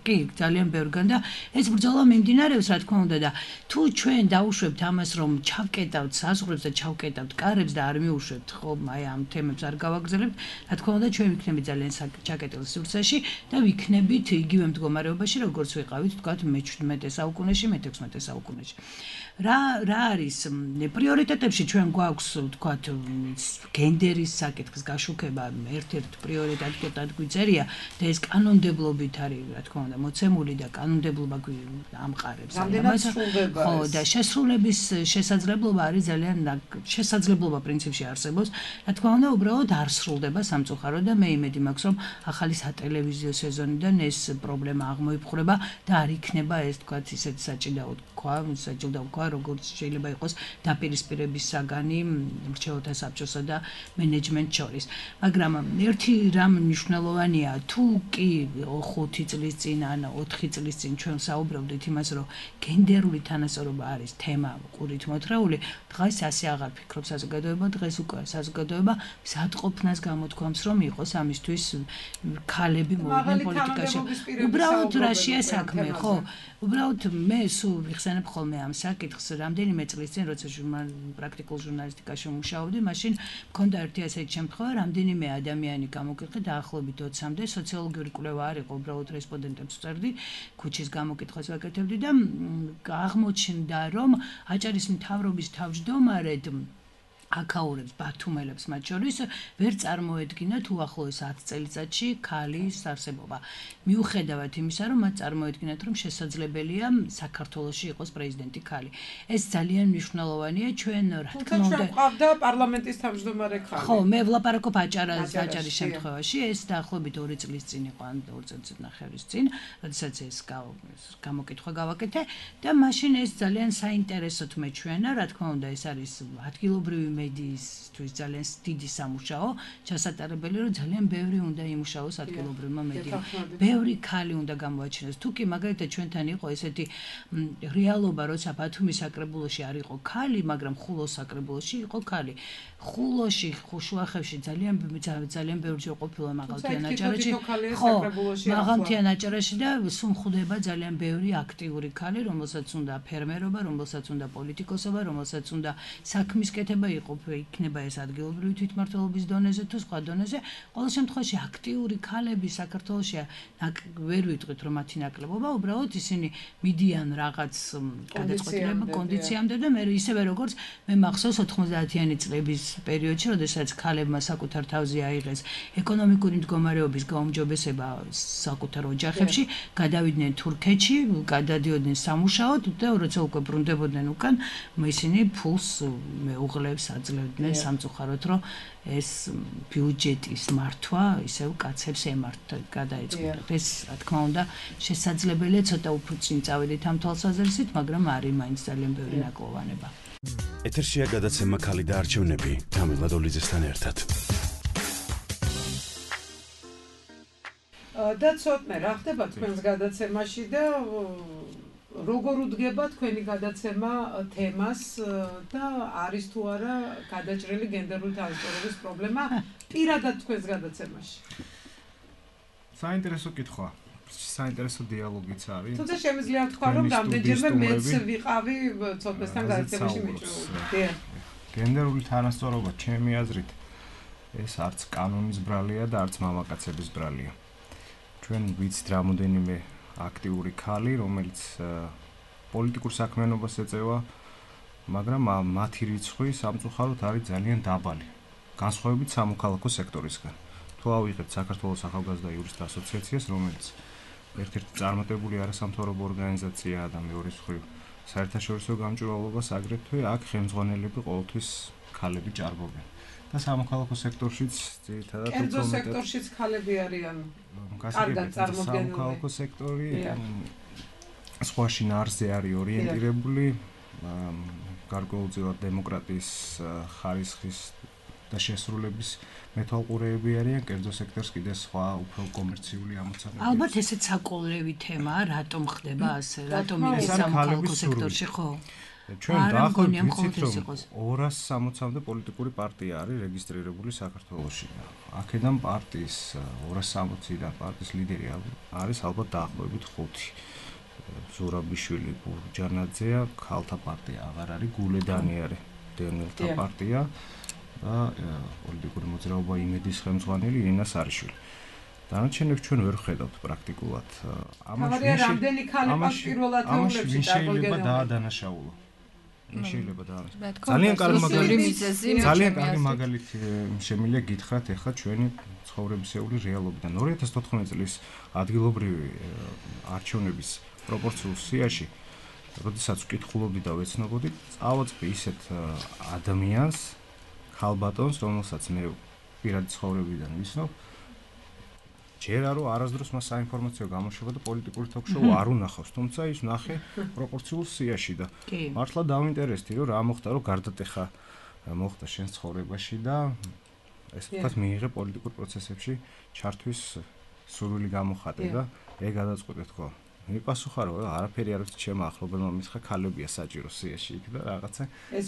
კი, ძალიან ბევრგან და ეს ბრძოლა მიმდინარეობს, რა თქმა უნდა და თუ ჩვენ დაუშვებთ ამას, რომ ჩავკეტავთ საზღვრებს და ჩავკეტავთ კარებს და არ მიუშვებთ, ხო, აი ამ თემებს არ გავაგრძელებთ, რა თქმა უნდა ჩვენ ვიქნებით ძალიან ჩაკეტილ სივრცეში და ვიქნებით იგივე მდგომარეობაში, როგორც ვიყავით, თქვათ მეჩვიდმეტე საუკუნეში, მეთექვსმეტე საუკუნეში. რა რა არის პრიორიტეტებში ჩვენ გვაქვს თქვათ გენდერის საკითხის გაშუქება ერთ-ერთ პრიორიტეტად გვიწერია და ეს კანონმდებლობით არის რა თქმა უნდა მოცემული და კანონმდებლობა ამყარებს ამას ხო და შესრულების შესაძლებლობა არის ძალიან შესაძლებლობა პრინციპში არსებობს რა თქმა უნდა უბრალოდ არ სრულდება სამწუხაროდ და მე იმედი მაქვს რომ ახალი სატელევიზიო სეზონიდან ეს პრობლემა აღმოიფხვრება და არ იქნება ეს თქვათ ისეთ საჭიდაოდ თქვა საჭიდაოდ თქვა როგორც შეიძლება იყოს დაპირისპირების საგანი მრჩეველთა საბჭოსა და მენეჯმენტს შორის. მაგრამ ერთი რამ მნიშვნელოვანია, თუ კი ხუთი წლის წინ ან ოთხი წლის წინ ჩვენ საუბრობდით იმას, რომ გენდერული თანასწორობა არის თემა ყურით მოთხრეული, დღეს ასე აღარ ფიქრობს საზოგადოება, დღეს უკვე საზოგადოება მზადყოფნას გამოთქვამს, რომ იყოს ამისთვის ქალები მოვიდნენ პოლიტიკაში. უბრალოდ რაშია საქმე, ხო? უბრალოდ მე სულ ვიხსენებ ხოლმე ამ საკითხს რამდენიმე წლის წინ როცა პრაქტიკულ ჟურნალისტიკაში მუშაობდი, მაშინ მქონდა ერთი ასეთი შემთხვევა, რამდენიმე ადამიანი გამოგიყრა დაახლოებით ოცამდე სოციოლოგიური კვლევა არ იყო, უბრალოდ რესპონდენტებს ვწერდი, ქუჩის გამოკითხვას ვაკეთებდი და აღმოჩნდა, რომ აჭარის მთავრობის თავმჯდომარედ აკაურებს ბათუმელებს მათ შორის ვერ წარმოედგინა თუ ახლოს ათი წელიწადში ქალის არსებობა. მიუხედავად იმისა, რომ მათ წარმოედგინათ, რომ შესაძლებელია საქართველოში იყოს პრეზიდენტი ქალი. ეს ძალიან მნიშვნელოვანია ჩვენ რა თქმა უნდა. ჩვენ ყავდა პარლამენტის თავმჯდომარე ქალი. ხო, მე ვლაპარაკობ აჭარას აჭარის შემთხვევაში, ეს დაახლოებით ორი წლის წინ იყო, ან ორი წლის ნახევრის წინ, როდესაც ეს გამოკითხვა გავაკეთე და მაშინ ეს ძალიან საინტერესოდ მეჩვენა, რა თქმა უნდა, ეს არის ადგილობრივი მედიისთვის ძალიან დიდი სამუშაო, ჩასატარებელი რომ ძალიან ბევრი უნდა იმუშაოს ადგილობრივმა მედიამ. ბევრი ქალი უნდა გამოაჩინოს. თუ კი მაგალითად ჩვენთან იყო ესეთი რეალობა, როცა ბათუმის საკრებულოში არ იყო ქალი, მაგრამ ხულოს საკრებულოში იყო ქალი. ხულოში, შუახევში ძალიან ძალიან ბევრი ყოფილა მაღალმთიან აჭარაში. ხო, მაღალმთიან აჭარაში და სუმხდება ძალიან ბევრი აქტიური ქალი, რომელსაც უნდა ფერმერობა, რომელსაც უნდა პოლიტიკოსობა, რომელსაც უნდა საქმის კეთება იყო, იქნება ეს ადგილობრივი თვითმმართველობის დონეზე თუ სხვა დონეზე. ყოველ შემთხვევაში აქტიური ქალები საქართველოში ვერ ვიტყვით რომ მათი ნაკლებობა, უბრალოდ ისინი მიდიან რაღაც გადაწყვეტილება კონდიციამდე და მე ისევე როგორც მე მახსოვს ოთხმოცდაათიანი წლების პერიოდში, როდესაც ქალებმა საკუთარ თავზე აიღეს ეკონომიკური მდგომარეობის გაუმჯობესება საკუთარ ოჯახებში, გადავიდნენ თურქეთში, გადადიოდნენ სამუშაოდ და როცა უკვე ბრუნდებოდნენ უკან, ისინი ფულს მეუღლებს აძლევდნენ სამწუხაროდ, რომ ეს ბიუჯეტის მართვა ისევ კაცებს ემართა გადაეწყოთ. ეს რა თქმა უნდა შესაძლებელია ცოტა უფრო წინ წავედით ამ თვალსაზრისით, მაგრამ არის მაინც ძალიან ბევრი ნაკლოვანება. ეთერშია გადაცემა ქალი და არჩევნები თამილა დოლიძესთან ერთად. და ცოტნე რა ხდება თქვენს გადაცემაში და როგორ უდგება თქვენი გადაცემა თემას და არის თუ არა გადაჭრილი გენდერული თავისუფლების პრობლემა პირადად თქვენს გადაცემაში? საინტერესო კითხვა. საინტერესო დიალოგიც არის. თუმცა შემიძლია თქვა რომ რამდენჯერმე მეც ვიყავი ცოტნესთან გადაცემაში მიჭრილი. გენდერული თანასწორობა ჩემი აზრით ეს არც კანონის ბრალია და არც მამაკაცების ბრალია. ჩვენ ვიცით რამოდენიმე აქტიური ქალი, რომელიც პოლიტიკურ საქმიანობას ეწევა, მაგრამ მათი რიცხვი სამწუხაროდ არის ძალიან დაბალი, განსხვავებით სამოქალაქო სექტორისგან. თუ ავიღებთ საქართველოს ახალგაზრდა იურისტთა ასოციაციას, რომელიც ერთ-ერთი წარმატებული არასამთავრობო ორგანიზაციაა და მეორის მხრივ საერთაშორისო გამჭვირვალობას აგრეთვე აქ ხელმძღვანელები ყოველთვის ქალები ჭარბობენ. და სამოქალაქო სექტორშიც ძირითადად კერძო სექტორშიც ქალები არიან კარგად წარმოდგენილი. სამოქალაქო სექტორი სხვა შინაარსზე არის ორიენტირებული, გარკვეულწილად დემოკრატიის ხარისხის და შესრულების მეთვალყურეები არიან, კერძო სექტორს კიდე სხვა უფრო კომერციული ამოცანები. ალბათ ესეც საკოლევი თემაა, რატომ ხდება ასე, რატომ ის სამოქალაქო სექტორში ხო? ჩვენ დაახლოებით ვიცით რომ ორას სამოცამდე პოლიტიკური პარტია არის რეგისტრირებული საქართველოში. აქედან პარტიის ორას სამოციდან პარტიის ლიდერი არის ალბათ დაახლოებით ხუთი. ზურაბიშვილი, ბურჯანაძეა, ქალთა პარტია აღარ არის, გულედანი არის, დენელთა პარტია და პოლიტიკური მოძრაობა იმედის ხელმძღვანელი ინა სარიშვილი. დანარჩენებს ჩვენ ვერ ხედავთ პრაქტიკულად. ამაში რამდენი ქალი პირველად ეულებში შეიძლება დაადანაშაულო. შეიძლება და ძალიან კარგი მაგალითი ძალიან კარგი მაგალითი შემიძლია გითხრათ ახლა ჩვენი ცხოვრებისეული რეალობიდან. ორი ათას თოთხმეტი წლის ადგილობრივი არჩევნების პროპორციულ სიაში, როდესაც ვკითხულობდი და ვეცნობოდი, წავაწყდი ისეთ ადამიანს, ქალბატონს, რომელსაც მე პირადი ცხოვრებიდან ვიცნობ, ჯერ არო არასდროს მას საინფორმაციო გამოშვება და პოლიტიკური თოქ-შოუ არ უნახავს, თუმცა ის ნახე პროპორციულ სიაში და მართლა დავინტერესდი რომ რა მოხდა, რომ გარდატეხა მოხდა შენ ცხოვრებაში და ესე ვთქვათ მიიღე პოლიტიკურ პროცესებში ჩართვის სურვილი გამოხატე და ეგ გადაწყვეტე თქო. მიპასუხა რომ არაფერი არ ვიცი ჩემო ახლობელმა მისხა ქალებია საჭირო სიაში იქ და რაღაცა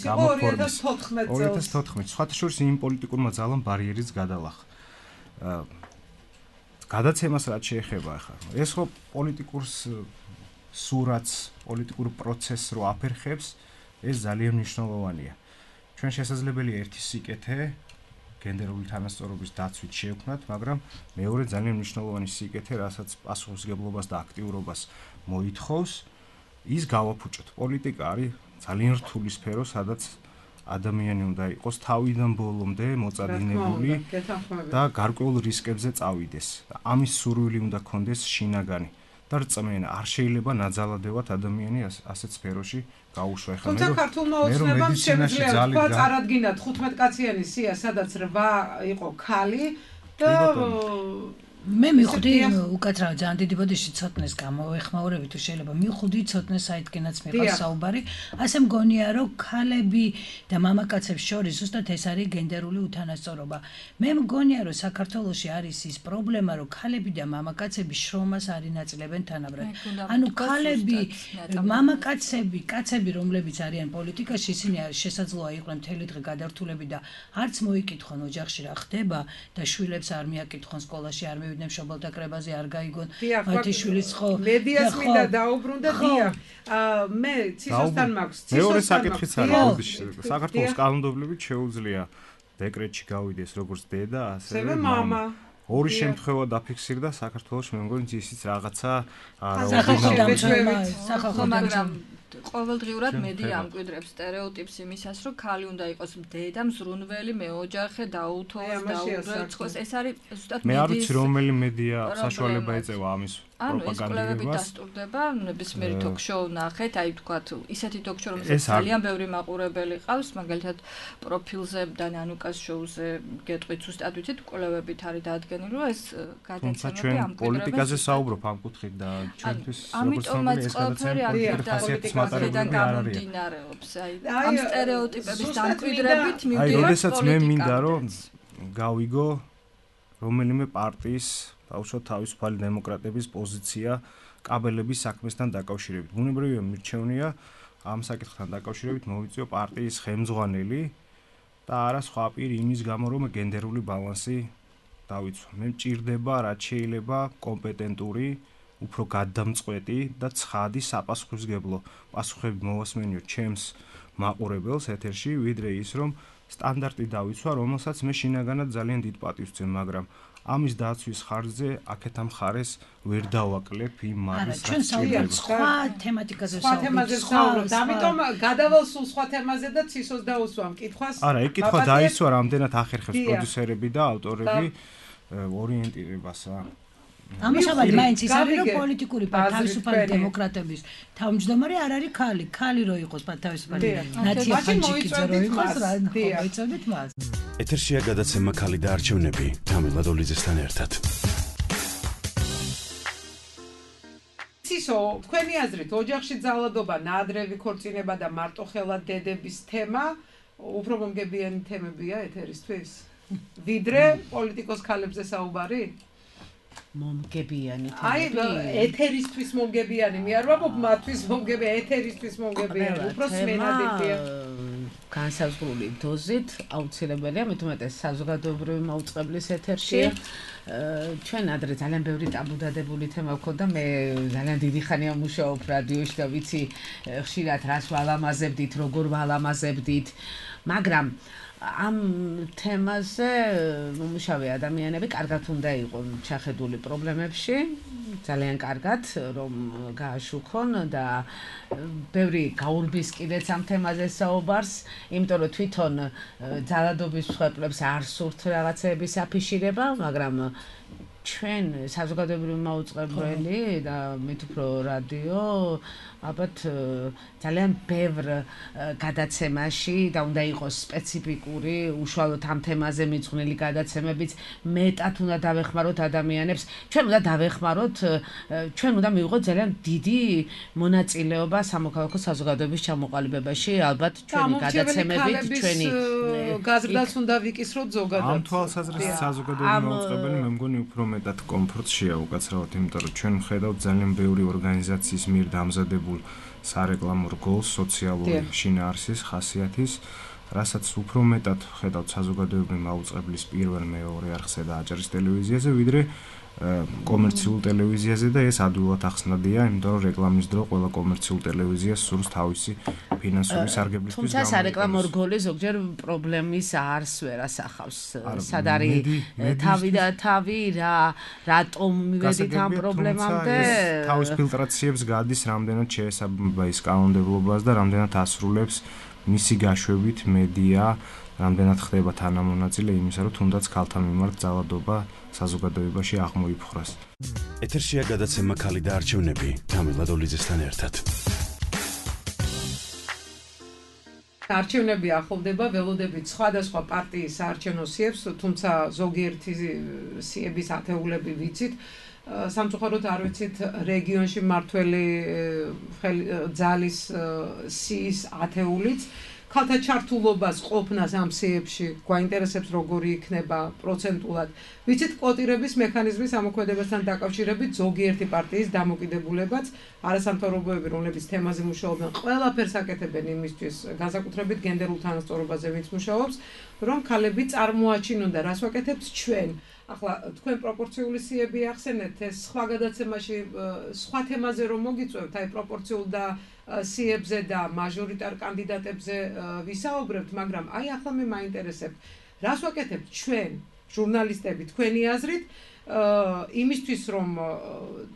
გამოფორმეს. ორი ათას თოთხმეტი წელს. სხვათა შორის იმ პოლიტიკურმა ძალამ ბარიერიც გადალახა. გადაცემას რაც შეეხება ახლა. ეს ხო პოლიტიკურს სურათს, პოლიტიკურ პროცესს რო აფერხებს, ეს ძალიან მნიშვნელოვანია. ჩვენ შესაძლებელია ერთი სიკეთე გენდერული თანასწორობის დაცვით შევქმნათ, მაგრამ მეორე ძალიან მნიშვნელოვანი სიკეთე, რასაც პასუხისმგებლობას და აქტიურობას მოითხოვს, ის გავაფუჭოთ. პოლიტიკა არის ძალიან რთული სფერო, სადაც ადამიანი უნდა იყოს თავიდან ბოლომდე მოწადინებული და გარკვეულ რისკებზე წავიდეს. ამის სურვილი უნდა ქონდეს შინაგანი და რწმენა. არ შეიძლება ნაძალადევად ადამიანი ასეთ სფეროში გაუშვა. ეხლა მე საქართველოს ოცნებამ შემიძლია თქვა წარადგინათ ხუთმეტ კაციანი სია, სადაც რვა იყო ქალი და მე მივხვდი უკაცრავად ძალიან დიდი ბოდიში ცოტნეს გამოეხმაურები თუ შეიძლება მივხვდი ცოტნეს საითკენაც მიყავს საუბარი ასე მგონია რომ ქალები და მამაკაცებს შორის ზუსტად ეს არის გენდერული უთანასწორობა მე მგონია რომ საქართველოში არის ის პრობლემა რომ ქალები და მამაკაცები შრომას არ ინაწილებენ თანაბრად ანუ ქალები მამაკაცები კაცები რომლებიც არიან პოლიტიკაში ისინი შესაძლოა იყვნენ მთელი დღე გადართულები და არც მოიკითხონ ოჯახში რა ხდება და შვილებს არ მიაკითხონ სკოლაში არ მივიდნენ მშობელთა კრებაზე არ გაიგონ მათი შვილის ხო მედიას მინდა დაუბრუნდა დია მე ცისოსთან მაქვს მეორე საკითხიც არის საქართველოს კანონმდებლობით შეუძლია დეკრეტში გავიდეს როგორც დედა ასევე მამა ორი შემთხვევა დაფიქსირდა საქართველოს მე მგონი ისიც რაღაცა სახალხო მაგრამ ყოველდღიურად მედია ამკვიდრებს სტერეოტიპს იმისას, რომ ქალი უნდა იყოს დედა, მზრუნველი, მეოჯახე, დაუთოვოს, დაურეცხოს. ეს არის ზუსტად მედიის. მე არ ვიცი რომელი მედია საშუალება ეწევა ამის პროპაგანდირებას. დასტურდება, ნებისმიერი ток-შოუ ნახეთ, აი თქვათ, ისეთი ток-შოუ, რომელსაც ძალიან ბევრი მაყურებელი ყავს, მაგალითად პროფილზე და ნანუკას შოუზე გეტყვით ზუსტად ვიცით, კვლევებით არის დადგენილი, რომ ეს გადაცემები ამკვიდრებს. პოლიტიკაზე საუბრობ ამ კუთხით და ჩვენთვის როგორც ამიტომაც ყველაფერი არის მატარებელი არ არის. აი, ამ სტერეოტიპების დამკვიდრებით მივდივართ პოლიტიკაზე. აი, როდესაც მე მინდა რომ გავიგო რომელიმე პარტიის ბავშვო თავისუფალი დემოკრატების პოზიცია კაბელების საქმესთან დაკავშირებით. ბუნებრივია მირჩევნია ამ საკითხთან დაკავშირებით მოვიწიო პარტიის ხელმძღვანელი და არა სხვა პირი იმის გამო რომ გენდერული ბალანსი დავიცვა. მე მჭირდება რაც შეიძლება კომპეტენტური უფრო გადამწყვეტი და ცხადი საპასუხისმგებლო პასუხები მოვასმენიო ჩემს მაყურებელს ეთერში, ვიდრე ის რომ სტანდარტი დავიცვა, რომელსაც მე შინაგანად ძალიან დიდ პატივს ვცემ, მაგრამ ამის დაცვის ხარჯზე აქეთ ამ ხარეს ვერ დავაკლებ იმ მარის რაც შეიძლება. სხვა თემატიკაზე ვსაუბრობთ. ამიტომ გადავალ სულ სხვა თემაზე და ცისოს დაუსვამ კითხვას. არა, ეგ კითხვა დაისვა, რამდენად ახერხებს პროდიუსერები და ავტორები ორიენტირებასა. ამჟამად მაინც ის არის რომ პოლიტიკური თავისუფალი დემოკრატების თავმჯდომარე არ არის ქალი, ქალი რო იყოს თავისუფალი ნაცია ფანჩიკიძე რო იყოს რა მოიწოდეთ მას. ეთერშია გადაცემა ქალი და არჩევნები თამილა დოლიძესთან ერთად. ცისო, თქვენი აზრით ოჯახში ძალადობა, ნაადრევი ქორწინება და მარტოხელა დედების თემა უფრო მომგებიანი თემებია ეთერისთვის? ვიდრე პოლიტიკოს ქალებზე საუბარი? მომგებიანი თემები. აი, ეთერისთვის მომგებიანი, მე არ ვამბობ მათთვის მომგებიანი, ეთერისთვის მომგებიანი, უფრო სმენადია. განსაზღვრული დოზით აუცილებელია, მით უმეტეს საზოგადოებრივი მაუწყებლის ეთერში. ჩვენ ადრე ძალიან ბევრი ტაბუდადებული თემა გვქონდა, მე ძალიან დიდი ხანია მუშაობ რადიოში და ვიცი ხშირად რას ვალამაზებდით, როგორ ვალამაზებდით, მაგრამ ამ თემაზე მომუშავე ადამიანები კარგად უნდა იყონ ჩახედული პრობლემებში, ძალიან კარგად რომ გააშუქონ და ბევრი გაურბის კიდეც ამ თემაზე საუბარს, იმიტომ რომ თვითონ ძალადობის მსხვერპლებს არ სურთ რაღაცეების აფიშირება, მაგრამ ჩვენ საზოგადოებრივი მაუწყებელი და მით უფრო რადიო ალბათ ძალიან ბევრ გადაცემაში და უნდა იყოს სპეციფიკური უშუალოდ ამ თემაზე მიძღვნილი გადაცემებიც მეტად უნდა დავეხმაროთ ადამიანებს. ჩვენ უნდა დავეხმაროთ, ჩვენ უნდა მივიღოთ ძალიან დიდი მონაწილეობა სამოქალაქო საზოგადოების ჩამოყალიბებაში, ალბათ ჩვენი გადაცემებით, ჩვენი გაზრდას უნდა ვიკისროთ ზოგადად. ამ თვალსაზრისით საზოგადოებრივი მაუწყებელი მე მგონი უფრო მეტად კომფორტშია უკაცრავად, იმიტომ რომ ჩვენ ვხედავთ ძალიან ბევრი ორგანიზაციის მიერ დამზადებულ სარეკლამო რგოლს სოციალური შინაარსის ხასიათის, რასაც უფრო მეტად ხედავთ საზოგადოებრივი მაუწყებლის პირველ მეორე არხზე და აჭარის ტელევიზიაზე, ვიდრე კომერციულ ტელევიზიაზე და ეს ადვილად ახსნადია, იმიტომ რომ რეკლამის დრო ყველა კომერციულ ტელევიზიას სურს თავისი ფინანსური სარგებლისთვის. თუმცა სარეკლამო რგოლი ზოგჯერ პრობლემის არს ვერ ასახავს. სად არის თავი და თავი რა რატომ მივედით ამ პრობლემამდე? თავის ფილტრაციებს გადის, რამდენად შეესაბამება ის კანონმდებლობას და რამდენად ასრულებს მისი გაშვებით მედია, რამდენად ხდება თანამონაწილე იმისა, რომ თუნდაც ქალთა მიმართ ძალადობა საზოგადოებაში აღმოიფხვრას. ეთერშია გადაცემა ქალი და არჩევნები თამილა დოლიძესთან ერთად. არჩევნები ახლდება, ველოდებით სხვადასხვა პარტიის საარჩევნო სიებს, თუმცა ზოგიერთი სიების ათეულები ვიცით. სამწუხაროდ არ ვიცით რეგიონში მმართველი ძალის სიის ათეულიც. ქალთა ჩართულობას ყოფნას ამ სიებში გვაინტერესებს როგორი იქნება პროცენტულად. ვიცით კვოტირების მექანიზმის ამოქმედებასთან დაკავშირებით ზოგიერთი პარტიის დამოკიდებულებაც, არასამთავრობოები, რომლებიც თემაზე მუშაობენ, ყველაფერს აკეთებენ იმისთვის, განსაკუთრებით გენდერულ თანასწორობაზე ვინც მუშაობს, რომ ქალები წარმოაჩინონ და რას ვაკეთებთ ჩვენ. ახლა თქვენ პროპორციული სიები ახსენეთ, ეს სხვა გადაცემაში სხვა თემაზე რომ მოგიწევთ, აი პროპორციულ და სიებზე და მაჟორიტარ კანდიდატებზე ვისაუბრებთ, მაგრამ აი ახლა მე მაინტერესებთ, რას ვაკეთებთ ჩვენ, ჟურნალისტები, თქვენი აზრით, იმისთვის რომ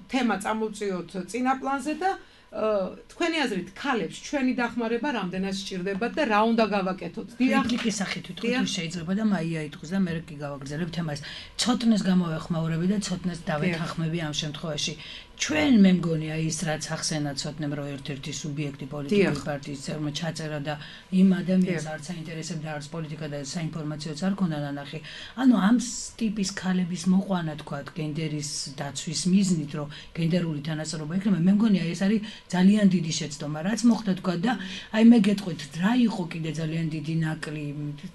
თემა წამოვწიოთ წინა პლანზე და თქვენი აზრით ქალებს ჩვენი დახმარება რამდენად სჭირდებათ და რა უნდა გავაკეთოთ? დიახ, სახით ვიტყვით, შეიძლება და მაია იტყვის და მე კი გავაგრძელებ თემას. ცოტნეს გამოვეხმაურები და ცოტნეს დავეთანხმები ამ შემთხვევაში. ჩვენ მე მგონია ის რაც ახსენა ცოტნემ რომ ერთ-ერთი სუბიექტი პოლიტიკური პარტიის წევრმა ჩაწერა და იმ ადამიანს არც აინტერესებდა არც პოლიტიკა და საინფორმაციოც არ ქონდა ნანახი. ანუ ამ ტიპის ქალების მოყვანა თქვა გენდერის დაცვის მიზნით რომ გენდერული თანასწორობა იქნება, მე მგონია ეს არის ძალიან დიდი შეცდომა, რაც მოხდა თქვა და აი მე გეტყვით რა იყო კიდე ძალიან დიდი ნაკლი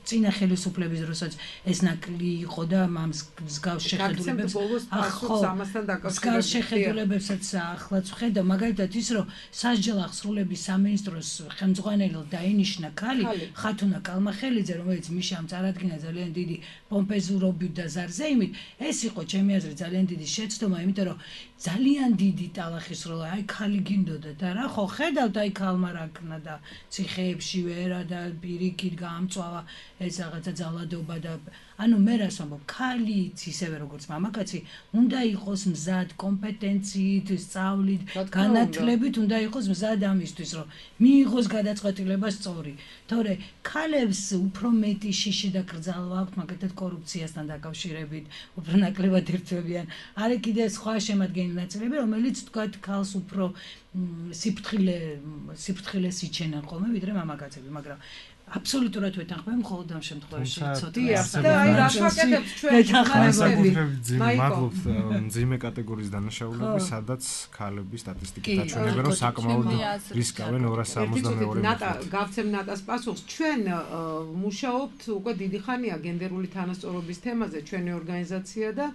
წინა ხელისუფლების დროსაც ეს ნაკლი იყო და ამ მსგავს შეხედულებებს ახლა ამასთან დაკავშირებით ებსაც ახლაც ვხედა მაგალითად ის რომ სასჯელ აღსრულების სამინისტროს ხელმძღვანელად დაინიშნა ქალი ხათუნა კალმახელიძე რომელიც მიშამ წარადგინა ძალიან დიდი პომპეზურობით და ზარზეიმით ეს იყო ჩემი აზრით ძალიან დიდი შეცდომა იმიტომ რომ ძალიან დიდი ტალახის როლა აი ქალი გინდოდა და რა ხო ხედავთ აი ქალმა რაკნა და ციხეებში ვერა და პირიქით გაამწვავა ეს რაღაცა ძალადობა და ანუ მე რას ვამბობ ქალიც ისევე როგორც მამაკაცი უნდა იყოს მზად კომპეტენციით სწავლით განათლებით უნდა იყოს მზად ამისთვის რომ მიიღოს გადაწყვეტილება სწორი თორე ქალებს უფრო მეტი შიში და კრძალვა აქვთ მაგალითად კორუფციასთან დაკავშირებით უფრო ნაკლებად ერთვებიან არის კიდე სხვა შემადგენელი ნაწილები რომელიც თქვათ ქალს უფრო სიფრთხილე სიფრთხილეს იჩენენ ხოლმე ვიდრე მამაკაცები მაგრამ აბსოლუტურად ვეთანხმებ მხოლოდ ამ შემთხვევაში ცოტა და აი რა ვაკეთებთ ჩვენ მადლობთ მძიმე კატეგორიის დანაშაულები სადაც ქალების სტატისტიკით აჩვენებენ რომ საკმაოდ რისკავენ ორას სამოცდამეორე ნატა გავცემ ნატას პასუხს ჩვენ მუშაობთ უკვე დიდი ხანია გენდერული თანასწორობის თემაზე ჩვენი ორგანიზაცია და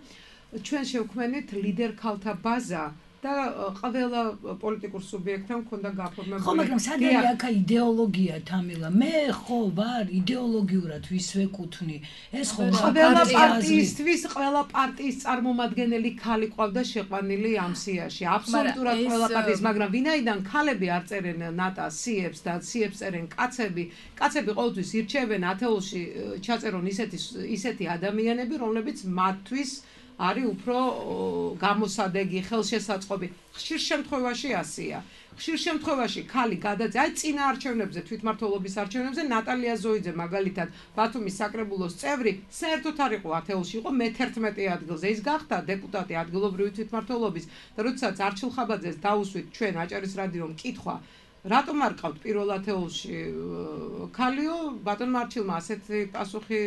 ჩვენ შევქმნით ლიდერ ქალთა ბაზა და ყველა პოლიტიკურ სუბიექტთან ქონდა გაფორმებული. ხო, მაგრამ სადაა აქ იდეოლოგია თამილა? მე ხო ვარ იდეოლოგიურად ვის ვეკუთვნი. ეს ხო ყველა პარტიისთვის, ყველა პარტიის წარმომადგენელი ქალი ყავდა შეყვანილი ამ სიაში. აბსოლუტურად ყველა პარტიის, მაგრამ ვინაიდან ქალები არ წერენ ნატას სიებს და სიებს წერენ კაცები, კაცები ყოველთვის ირჩევენ ათეულში ჩაწერონ ისეთი ისეთი ადამიანები, რომლებიც მათთვის არის უფრო გამოსადეგი, ხელშესაწყობი. ხშირ შემთხვევაში ასია. ხშირ შემთხვევაში ქალი გადაძე, აი წინა არჩევნებზე, თვითმმართველობის არჩევნებზე ნატალია ზოიძე მაგალითად ბათუმის საკრებულოს წევრი, საერთოდ არ იყო ათეულში, იყო მეთერთმეტე ადგილზე. ის გახდა დეპუტატი ადგილობრივი თვითმმართველობის და როდესაც არჩილ ხაბაძეს დაუსვით ჩვენ აჭარის რადიომ კითხვა რატომ არ ყავთ პირველ ათეულში ქალიო? ბატონმა არჩილმა ასეთი პასუხი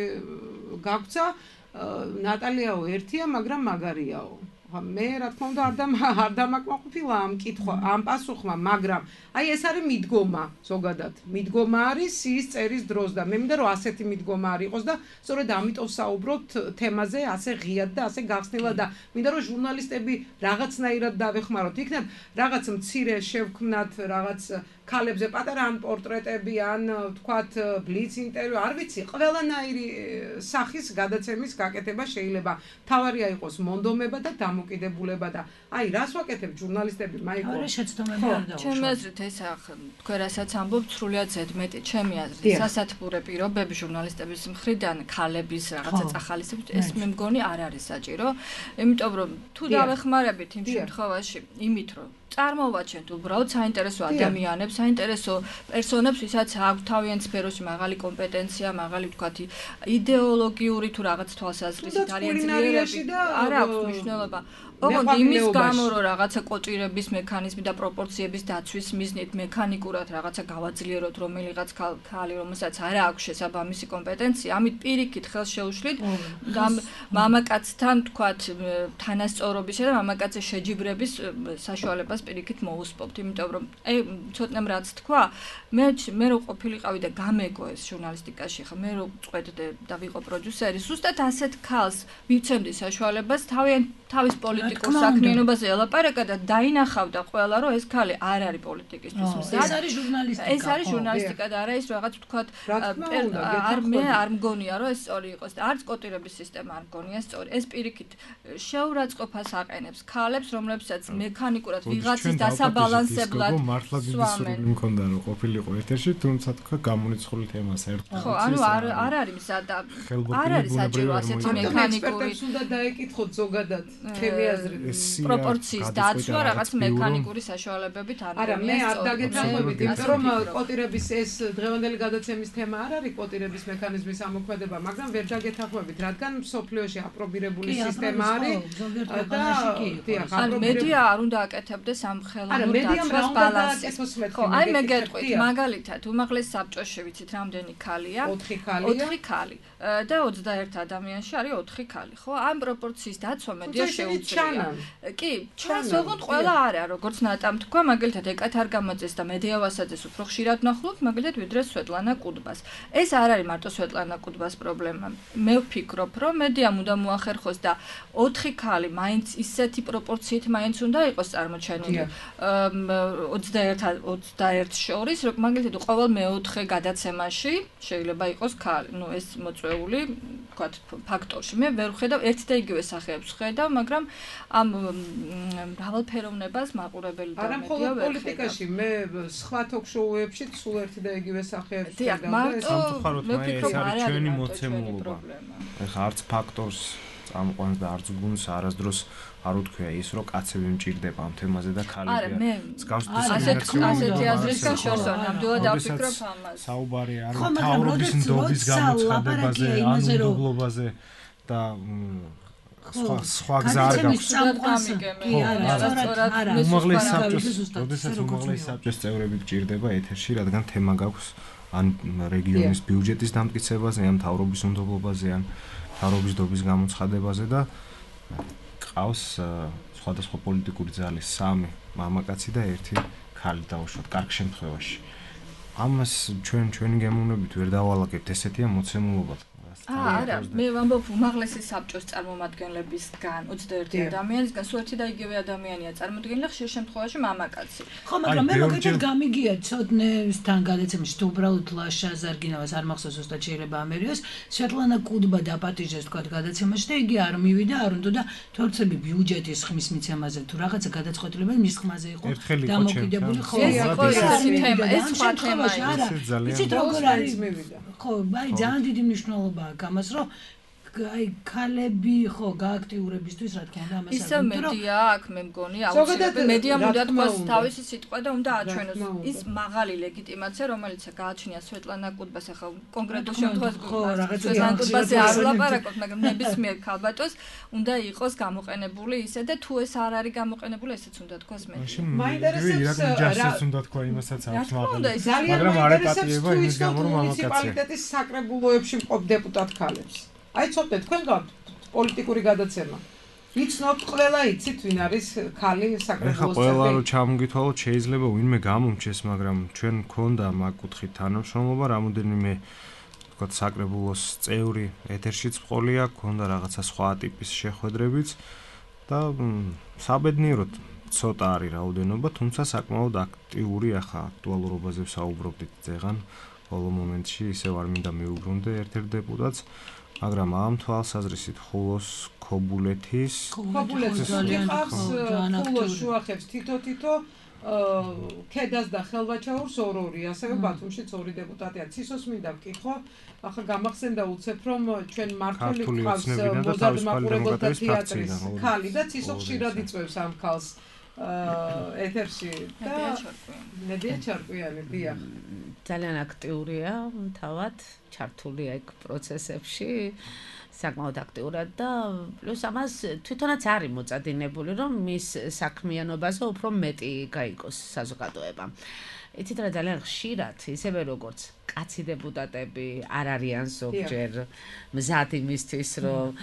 გაგვცა ნატალიაო ერთია, მაგრამ მაგარიაო. მე რა თქმა უნდა არ არ დამაკმაყოფილა ამ კითხვა, ამ პასუხმა, მაგრამ აი ეს არის მიდგომა, ზოგადად. მიდგომა არის ის წერის დროს და მე მინდა რომ ასეთი მიდგომა არ იყოს და სწორედ ამიტომ საუბრობთ თემაზე ასე ღიად და ასე გახსნილად და მინდა რომ ჟურნალისტები რაღაცნაირად დავეხმაროთ. იქნებ რაღაც მცირე შევქმნათ რაღაც ქალებზე პატარა ან პორტრეტები ან თქვათ ბლიც ინტერვიუ, არ ვიცი, ყველანაირი სახის გადაცემის გაკეთება შეიძლება. თავარია იყოს მონდომება და დამოკიდებულება და აი რას ვაკეთებ ჟურნალისტები მაიკო? არა შეცდომები არ დაუშვათ. ჩემი აზრით ეს თქვენ რასაც ამბობთ, სრულიად ზედმეტი. ჩემი აზრით სასათბურე პირობები ჟურნალისტების მხრიდან ქალების რაღაცა წახალისებით ეს მე მგონი არ არის საჭირო. იმიტომ რომ თუ დავეხმარებით იმ შემთხვევაში იმით რომ წარმოვაჩენთ უბრალოდ საინტერესო ადამიანებს, საინტერესო პერსონებს, ვისაც აქვს თავიანთ სფეროში მაღალი კომპეტენცია, მაღალი ვთქვათ იდეოლოგიური თუ რაღაც თვალსაზრისით არიან ძლიერები, არა აქვს მნიშვნელობა. ოღონდ იმის გამო რომ რაღაცა კოჭირების მექანიზმი და პროპორციების დაცვის მიზნით მექანიკურად რაღაცა გავაძლიეროთ რომელიღაც ქალი, რომელსაც არ აქვს შესაბამისი კომპეტენცია, ამით პირიქით ხელს შეუშლით მამაკაცთან ვთქვათ თანასწორობისა და მამაკაცის შეჯიბრების საშუალებას პირიქით მოუსპობთ, იმიტომ რომ აი ცოტნემ რაც თქვა, მე მე რო ყოფილიყავი და გამეგო ეს ჟურნალისტიკაში, ხა მე რო წვედდე და ვიყო პროდიუსერი, ზუსტად ასეთ ქალს მივცემდი საშუალებას თავიანთ თავის პოლიტიკურ საქმიანობაზე ელაპარაკა და დაინახავდა ყველა რომ ეს ქალი არ არის პოლიტიკისთვის მზად. ეს არის ჟურნალისტიკა. ეს არის ჟურნალისტიკა და არა ის რაღაც ვთქვათ არ მე არ მგონია რომ ეს სწორი იყოს და არც კოტირების სისტემა არ მგონია სწორი. ეს პირიქით შეურაცხყოფას აყენებს ქალებს, რომლებსაც მექანიკურად ვიღაცის დასაბალანსებლად მართლა დიდი სურვილი მქონდა რომ ყოფილიყო ეთერში, თუმცა თქვა გამონიწყული თემას ერთად. ხო, ანუ არ არ არის მზად და არ არის საჭირო ასეთი მექანიკური უნდა დაეკითხოთ ზოგადად ქემიაზრით პროპორციის დაცვა რაღაც მექანიკური საშუალებებით არ არა მე არ დაგეთანხმებით იმიტომ რომ კოტირების ეს დღევანდელი გადაცემის თემა არ არის კოტირების მექანიზმის ამოქმედება მაგრამ ვერ დაგეთანხმებით რადგან მსოფლიოში აპრობირებული სისტემა არის და ან მედია არ უნდა აკეთებდეს ამ ხელოვნურ დაცვას ბალანსს ხო აი მე გეტყვით მაგალითად უმაღლეს საბჭოში ვიცით რამდენი ქალია ოთხი ქალია ოთხი ქალი და ოცდაერთი ადამიანში არის ოთხი ქალი ხო ამ პროპორციის დაცვა მედია შეუძლია. კი, ჩვენს ოღონდ ყველა არა, როგორც ნატამ თქვა, მაგალითად ეკათ არ გამოწეს და მედია ვასაძეს უფრო ხშირად ნახულობთ, მაგალითად ვიდრე სვეტლანა კუდბას. ეს არ არის მარტო სვეტლანა კუდბას პრობლემა. მე ვფიქრობ, რომ მედიამ უნდა მოახერხოს და ოთხი ქალი მაინც ისეთი პროპორციით მაინც უნდა იყოს წარმოჩენილი. ოცდაერთი ოცდაერთს შორის, რომ მაგალითად ყოველ მეოთხე გადაცემაში შეიძლება იყოს ქალი. ნუ ეს მოწვეული, ვთქვათ, ფაქტორში. მე ვერ ვხედავ ერთ და იგივე სახეებს ვხედავ, მაგრამ ამ მრავალფეროვნებას მაყურებელი და მედია ვერ პოლიტიკაში მე სხვა ток-შოუებში სულ ერთი და იგივე სახეებს ვხედავ და სამწუხაროდ მე ეს არის ჩვენი მოცემულობა. ეხლა არც ფაქტორს წამყვანს და არც გუნს არასდროს არ უთქვია ის რომ კაცები მჭირდება ამ თემაზე და ქალები არა მე ასეთი აზრის გაშორს ნამდვილად ავფიქრობ ამას საუბარი არის თავრობის ნდობის გამოცხადებაზე ანულობაზე და სხვა სხვა გზა არ გაქვს. უმაღლეს საბჭოს, როდესაც უმაღლეს საბჭოს წევრები გჭირდება ეთერში, რადგან თემა გაქვს ან რეგიონის ბიუჯეტის დამტკიცებაზე, ან თავრობის უნდობლობაზე, ან თავრობის ნდობის გამოცხადებაზე და ყავს სხვადასხვა პოლიტიკური ძალის სამი მამაკაცი და ერთი ქალი დაუშვათ კარგ შემთხვევაში. ამას ჩვენ ჩვენი გემოვნებით ვერ დავალაგებთ, ესეთია მოცემულობა. არა, მე ვამბობ უმაღლესი საბჭოს წარმომადგენლებისგან ოცდაერთი ადამიანისგან სულ ერთი და იგივე ადამიანია წარმოდგენილი ხშირ შემთხვევაში მამაკაცი. ხო, მაგრამ მე მოგეთქვით გამიგია ცოდნესთან გადაცემაში თუ უბრალოდ ლაშა ზარგინავას არ მახსოვს ზუსტად შეიძლება ამერიოს სვეტლანა კუდბა დაპატიჟეს თქვა გადაცემაში და იგი არ მივიდა არ უნდა და თორცები ბიუჯეტის ხმის მიცემაზე თუ რაღაცა გადაწყვეტილება მის ხმაზე იყო დამოკიდებული ხო ეს იყო ეს თემა ეს სხვა თემაა არა იცით როგორ არის ხო აი ძალიან დიდი მნიშვნელობა გამას რომ აი ქალები ხო გააქტიურებისთვის რა თქმა უნდა ამას ისე მედია აქ მე მგონი აუცილებლად მედიამ უნდა თქვას თავისი სიტყვა და უნდა აჩვენოს ის მაღალი ლეგიტიმაცია რომელიც გააჩნია სვეტლანა კუდბას ახლა კონკრეტულ შემთხვევაში ხო რაღაცა სვეტლანა კუდბაზე არ ვლაპარაკობ მაგრამ ნებისმიერ ქალბატონს უნდა იყოს გამოყენებული ისე და თუ ეს არ არის გამოყენებული ესეც უნდა თქვას მედია მაინტერესებს რა უნდა თქვა იმასაც აქვს მაღალი მაგრამ არ ეპატიება იმის გამო რომ მამაკაცია მუნიციპალიტეტის საკრებულოებში მყოფ დეპუტატ ქალებს აი ცოტნე თქვენ გაქვთ პოლიტიკური გადაცემა. ვიცნობთ ყველა იცით ვინ არის ქალი საკრებულოს წევრი. ეხლა ყველა რო ჩამოგითვალოთ შეიძლება ვინმე გამომჩეს, მაგრამ ჩვენ გქონდა მაგ კუთხით თანამშრომლობა, რამოდენიმე თქვა საკრებულოს წევრი ეთერშიც ყოლია, გქონდა რაღაცა სხვა ტიპის შეხვედრებიც და საბედნიეროდ ცოტა არის რაოდენობა, თუმცა საკმაოდ აქტიური ახლა აქტუალურობაზე ვსაუბრობდით ზეღან ბოლო მომენტში ისევ არ მინდა მივუბრუნდე ერთ-ერთ დეპუტატს მაგრამ ამ თვალსაზრისით ხულოს ქობულეთის ქობულეთის ხავს ხულოს შუახებს თითო-თითო ქედას და ხელვაჩაურს ორ-ორი ასევე ბათუმშიც ორი დეპუტატია ცისოს მინდა ვკითხო ახლა გამახსენდა უცებ რომ ჩვენ მართული ყავს მოზარდ მაყურებელთა თეატრის ქალი და ცისო ხშირად იწვევს ამ ქალს ეთერში და მედია ჩარკვიანი დიახ ძალიან აქტიურია თავად ჩართულია იქ პროცესებში საკმაოდ აქტიურად და პლუს ამას თვითონაც არის მოწადინებული რომ მის საქმიანობაზე უფრო მეტი გაიგოს საზოგადოება იცით რა ძალიან ხშირად ისევე როგორც კაცი დეპუტატები არ არიან ზოგჯერ მზად იმისთვის რომ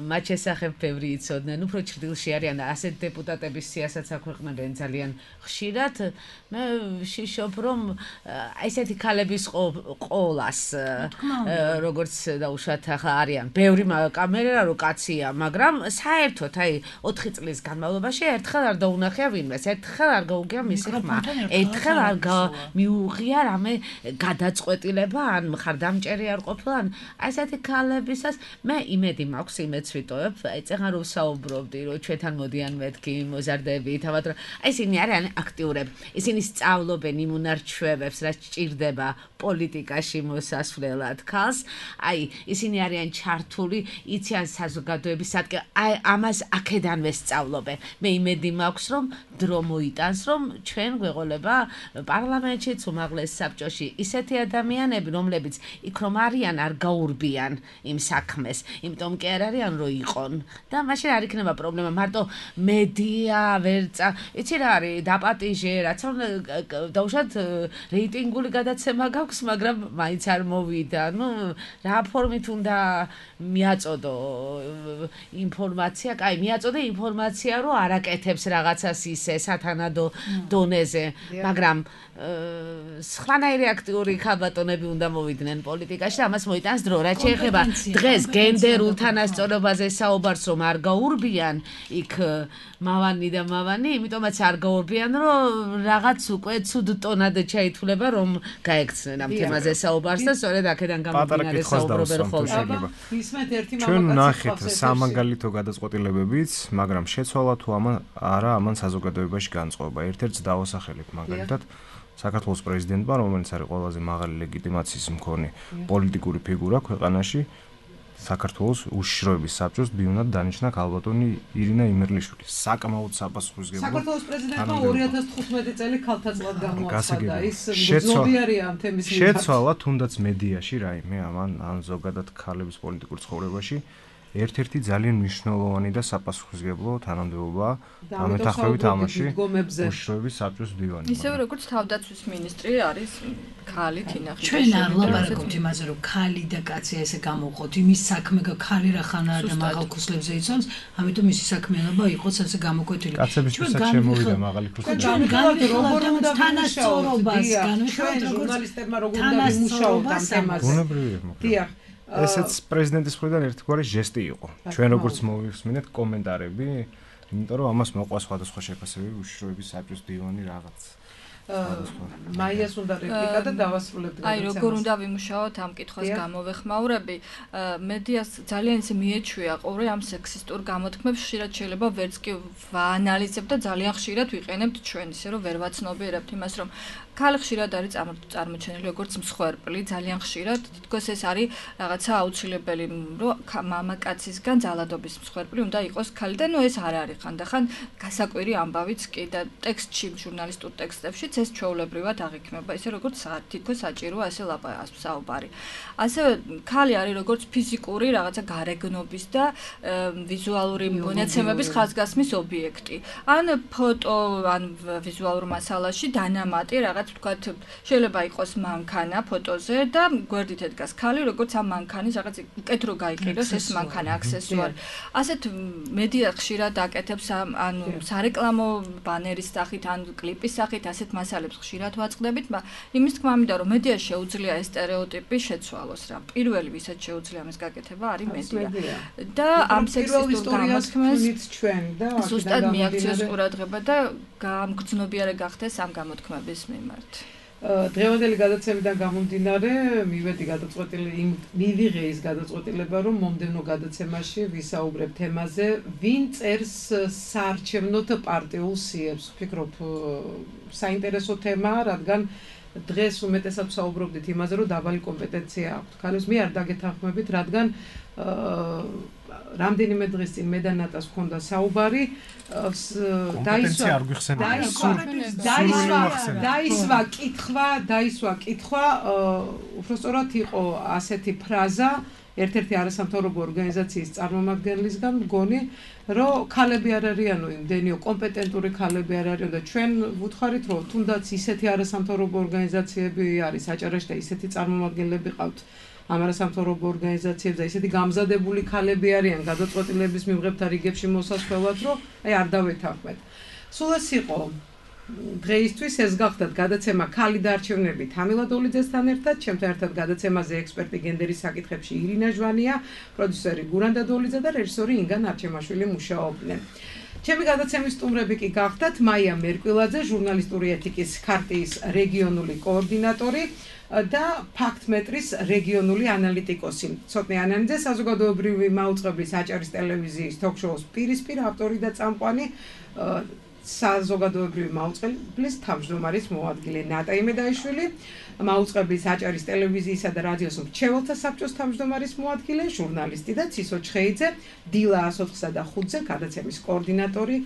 მათ შესახებ ბევრი იცოდნენ უფრო ჭრილში არიან და ასეთ დეპუტატების სიასაც აქვეყნებენ ძალიან ხშირად მე ვშიშობ რომ ესეთი ქალების ყოლას როგორც დაუშვათ ახლა არიან ბევრი კამერა რო კაცია მაგრამ საერთოდ აი ოთხი წლის განმავლობაში ერთხელ არ დაუნახია ვინმეს ერთხელ არ გაუგია მისი ხმა ერთხელ არ მიუღია რამე გადაწყვეტილება ან მხარდამჭერი არ ყოფილა ან ასეთი ქალებისას მე იმედი მაქვს იმედს ვიტოვებ აი წეღარ ვსაუბრობდი რომ ჩვენთან მოდიან მეთქი მოზარდები თავად რომ აი ისინი არიან აქტიურები ისინი სწავლობენ იმ უნარჩვევებს რაც ჭირდება პოლიტიკაში მოსასვლელად ქალს აი ისინი არიან ჩართული იციან საზოგადოების სადგე აი ამას აქედანვე სწავლობენ მე იმედი მაქვს რომ დრო მოიტანს რომ ჩვენ გვეყოლება პარლამენტშიც უმაღლეს საბჭოში ისეთი ადამიანები რომლებიც იქ რომ არიან არ გაურბიან იმ საქმეს იმიტომ კი არ არიან რომ იყონ და მაშინ არ იქნება პრობლემა მარტო მედია ვერცა იცი რა არის დაპატიჟე რაც დაუშვათ რეიტინგული გადაცემა გაქვს მაგრამ მაინც არ მოვიდა ნუ რა ფორმით უნდა მიაწოდო ინფორმაცია კაი მიაწოდე ინფორმაცია რომ არაკეთებს რაღაცას ისე სათანადო დონეზე მაგრამ სხვანაირი აქტიური ქალბატონები უნდა მოვიდნენ პოლიტიკაში ამას მოიტანს დრო რაც შეეხება დღეს გენდერულ თანასწორობაზე საუბარს რომ არ გაურბიან იქ მავანი და მავანი იმიტომაც არ გაურბიან რომ რაღაც უკვე ცუდ ტონად ჩაითვლება რომ გაექცნენ ამ თემაზე საუბარს და სწორედ აქედან გამომდინარე საუბრობენ ხოლმე ისმეთ ერთი მამაკაცი ჩვენ ნახეთ სამაგალითო გადაწყვეტილებებიც მაგრამ შეცვალა თუ არა ამან საზოგადოებაში განწყობა ერთ-ერთს დავასახელებ მაგალითად საქართველოს პრეზიდენტმა რომელიც არის ყველაზე მაღალი ლეგიტიმაციის მქონე პოლიტიკური ფიგურა ქვეყანაში საქართველოს უშიშროების საბჭოს ბიუნად დანიშნა ქალბატონი ირინა იმერლიშვილი საკმაოდ საპასუხისმგებლო საქართველოს პრეზიდენტმა ორი ათას თხუთმეტი წელი ქალთა წლად გამოაცხადა ის მგზნობიარია ამ თემის მიმართ შეცვალა თუნდაც მედიაში რაიმე ამან ან ზოგადად ქალების პოლიტიკურ ცხოვრებაში ერთ-ერთი ძალიან მნიშვნელოვანი და საპასუხისმგებლო თანამდებობა ამეთახმებით ამაში უშიშროების საბჭოს დივანი. ისევე როგორც თავდაცვის მინისტრი არის ქალი თინა ხიჭაშვილი. ჩვენ არ ვლაპარაკობთ იმაზე რომ ქალი და კაცი ესე გამოვყოთ იმის საქმე ქალი რა ხანაა და მაღალ ქუსლებზე იცავს ამიტომ ისი საქმიანობა იყოს ასე გამოკვეთილი. კაცებისთვისაც შემოვიდა მაღალი ქუსლები. ჩვენ განვიხილოთ როგორ უნდა თანასწორობას განვიხილოთ ჟურნალისტებმა როგორ უნდა იმუშაოთ ამ თემაზე. ბუნებრივია მოკლედ. დიახ ესეც პრეზიდენტის მხრიდან ერთგვარი ჟესტი იყო. ჩვენ როგორც მოვიხსნით კომენტარები, იმიტომ რომ ამას მოყვა სხვადასხვა შეფასებები უშიშროების საბჭოს დივანი რაღაც. მაიას უნდა რეპლიკა და დავასრულებთ აი როგორ უნდა ვიმუშაოთ ამ კითხვას გამოვეხმაურები მედიას ძალიან ისე მიეჩვია ყურე ამ სექსისტურ გამოთქმებს ხშირად შეიძლება ვერც კი ვაანალიზებთ და ძალიან ხშირად ვიყენებთ ჩვენ ისე რომ ვერ ვაცნობიერებთ იმას რომ ქალი ხშირად არის წარმოჩენილი როგორც მსხვერპლი ძალიან ხშირად თითქოს ეს არის რაღაცა აუცილებელი რომ მამაკაცისგან ძალადობის მსხვერპლი უნდა იყოს ქალი და ნუ ეს არ არის ხანდახან გასაკვირი ამბავიც კი და ტექსტში ჟურნალისტურ ტექსტებში ეს ჩვეულებრივად აღიქმება ისე როგორც თითქოს საჭიროა ასე საუბარი ასევე ქალი არის როგორც ფიზიკური რაღაცა გარეგნობის და ვიზუალური მონაცემების ხაზგასმის ობიექტი ან ფოტო ან ვიზუალურ მასალაში დანამატი რაღაც ვთქვათ შეიძლება იყოს მანქანა ფოტოზე და გვერდით ედგას ქალი როგორც ამ მანქანის რაღაც უკეთ რო გაიყიდოს ეს მანქანა აქსესუარი ასეთ მედია ხშირად აკეთებს ანუ სარეკლამო ბანერის სახით ან კლიპის სახით ასეთ მასალებს ხშირად ვაწყდებით იმის თქმა მინდა რომ მედია შეუძლია ეს სტერეოტიპი შეცვალოს რა პირველი ვისაც შეუძლია ამის გაკეთება არის მედია და ამ სექსისტურ გამოთქმებს ჩვენ და ზუსტად მიაქციოს ყურადღება და გამგრძნობიარე გახდეს ამ გამოთქმების მიმართ დღევანდელი გადაცემიდან გამომდინარე მივედი გადაწყვეტილი იმ მივიღე ის გადაწყვეტილება რომ მომდევნო გადაცემაში ვისაუბრებ თემაზე ვინ წერს საარჩევნოთ პარტიულ სიებს ვფიქრობ საინტერესო თემაა რადგან დღეს უმეტესად ვსაუბრობდით იმაზე რომ დაბალი კომპეტენცია აქვს ქალებს მე არ დაგეთანხმებით რადგან რამდენიმე დღის წინ მე და ნატას ჰქონდა საუბარი დაისვა დაისვა დაისვა დაისვა კითხვა დაისვა კითხვა უბრალოდ იყო ასეთი ფრაზა ერთ-ერთი არასამთავრობო ორგანიზაციის წარმომადგენლისგან მგონი რომ ქალები არ არიანო იმდენიო კომპეტენტური ქალები არ არიან და ჩვენ ვუთხარით რომ თუნდაც ისეთი არასამთავრობო ორგანიზაციები არის აჭარაში და ისეთი წარმომადგენლები ყავთ ამ არასამთავრობო ორგანიზაციებს და ისეთი გამზადებული ქალები არიან გადაწყვეტილების მიღებთან რიგებში მოსასვლელად რომ აი არ დავეთანხმეთ. სულ ეს იყო დღეისთვის ეს გახდათ გადაცემა ქალი და არჩევნები თამილა დოლიძესთან ერთად, ჩემთან ერთად გადაცემაზე ექსპერტი გენდერის საკითხებში ირინა ჟვანია, პროდიუსერი გურანდა დოლიძე და რეჟისორი ინგა ნარჩემაშვილი მუშაობდნენ. ჩემი გადაცემის სტუმრები კი გახდათ მაია მერკვილაძე, ჟურნალისტური ეთიკის ქარტიის რეგიონული კოორდინატორი და ფაქტმეტრის რეგიონული ანალიტიკოსი. ცოტნე ანანიძე, საზოგადოებრივი მაუწყებლის აჭარის ტელევიზიის თოქ-შოუს პირისპირ ავტორი და წამყვანი, საზოგადოებრივი მაუწყებლის თავმჯდომარის მოადგილე ნატა იმედაიშვილი, მაუწყებლის აჭარის ტელევიზიისა და რადიოს მრჩეველთა საბჭოს თავმჯდომარის მოადგილე, ჟურნალისტი და ცისო ჩხეიძე, დილა ას ოთხსა და ხუთზე გადაცემის კოორდინატორი,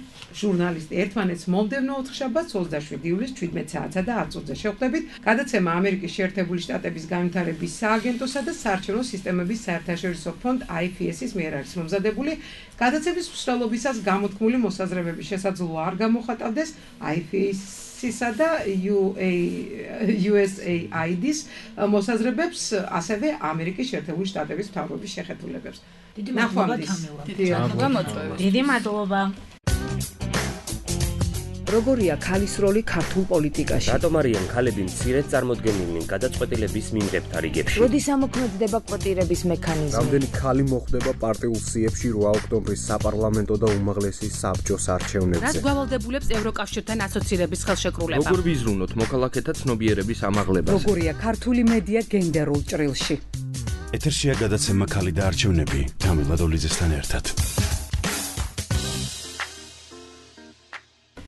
ჟურნალისტი. ერთმანეთს მომდევნო ოთხშაბათს ოცდაშვიდი ივლისს ჩვიდმეტ საათსა და ათ წუთზე შევხვდებით. გადაცემა ამერიკის შეერთებული შტატების განვითარების სააგენტოსა და საარჩევნო სისტემების საერთაშორისო ფონდ აი ეფ ეს-ის მიერ არის მომზადებული. გადაცემის მსვლელობისას გამოთქმული მოსაზრებების შესაძლოა არ გამოხატავდეს აი ეფ ეს-ისა და იუ ეს ეი აი დი-ის მოსაზრებებს, ასევე ამერიკის შეერთებული შტატების მთავრობის შეხედულებებს. დიდი მადლობა თამილა. დიდი მადლობა. როგორია ქალის როლი ქართულ პოლიტიკაში? რატომ არიან ქალები მცირედ წარმოდგენილნი გადაწყვეტილების მიმღებთან რიგებში? როდის ამოქმედდება კვოტირების მექანიზმი? რამდენი ქალი მოხდება პარტიულ სიებში რვა ოქტომბრის საპარლამენტო და უმაღლესი საბჭოს არჩევნებზე? რაც გვალავდებულებს ევროკავშირთან ასოცირების ხელშეკრულება? როგორ ვიზრუნოთ მოქალაქეთა ცნობიერების ამაღლებას? როგორია ქართული მედია გენდერულ ჭრილში? ეთერშია გადაცემა ქალი და არჩევნები თამილა დოლიძესთან ერთად.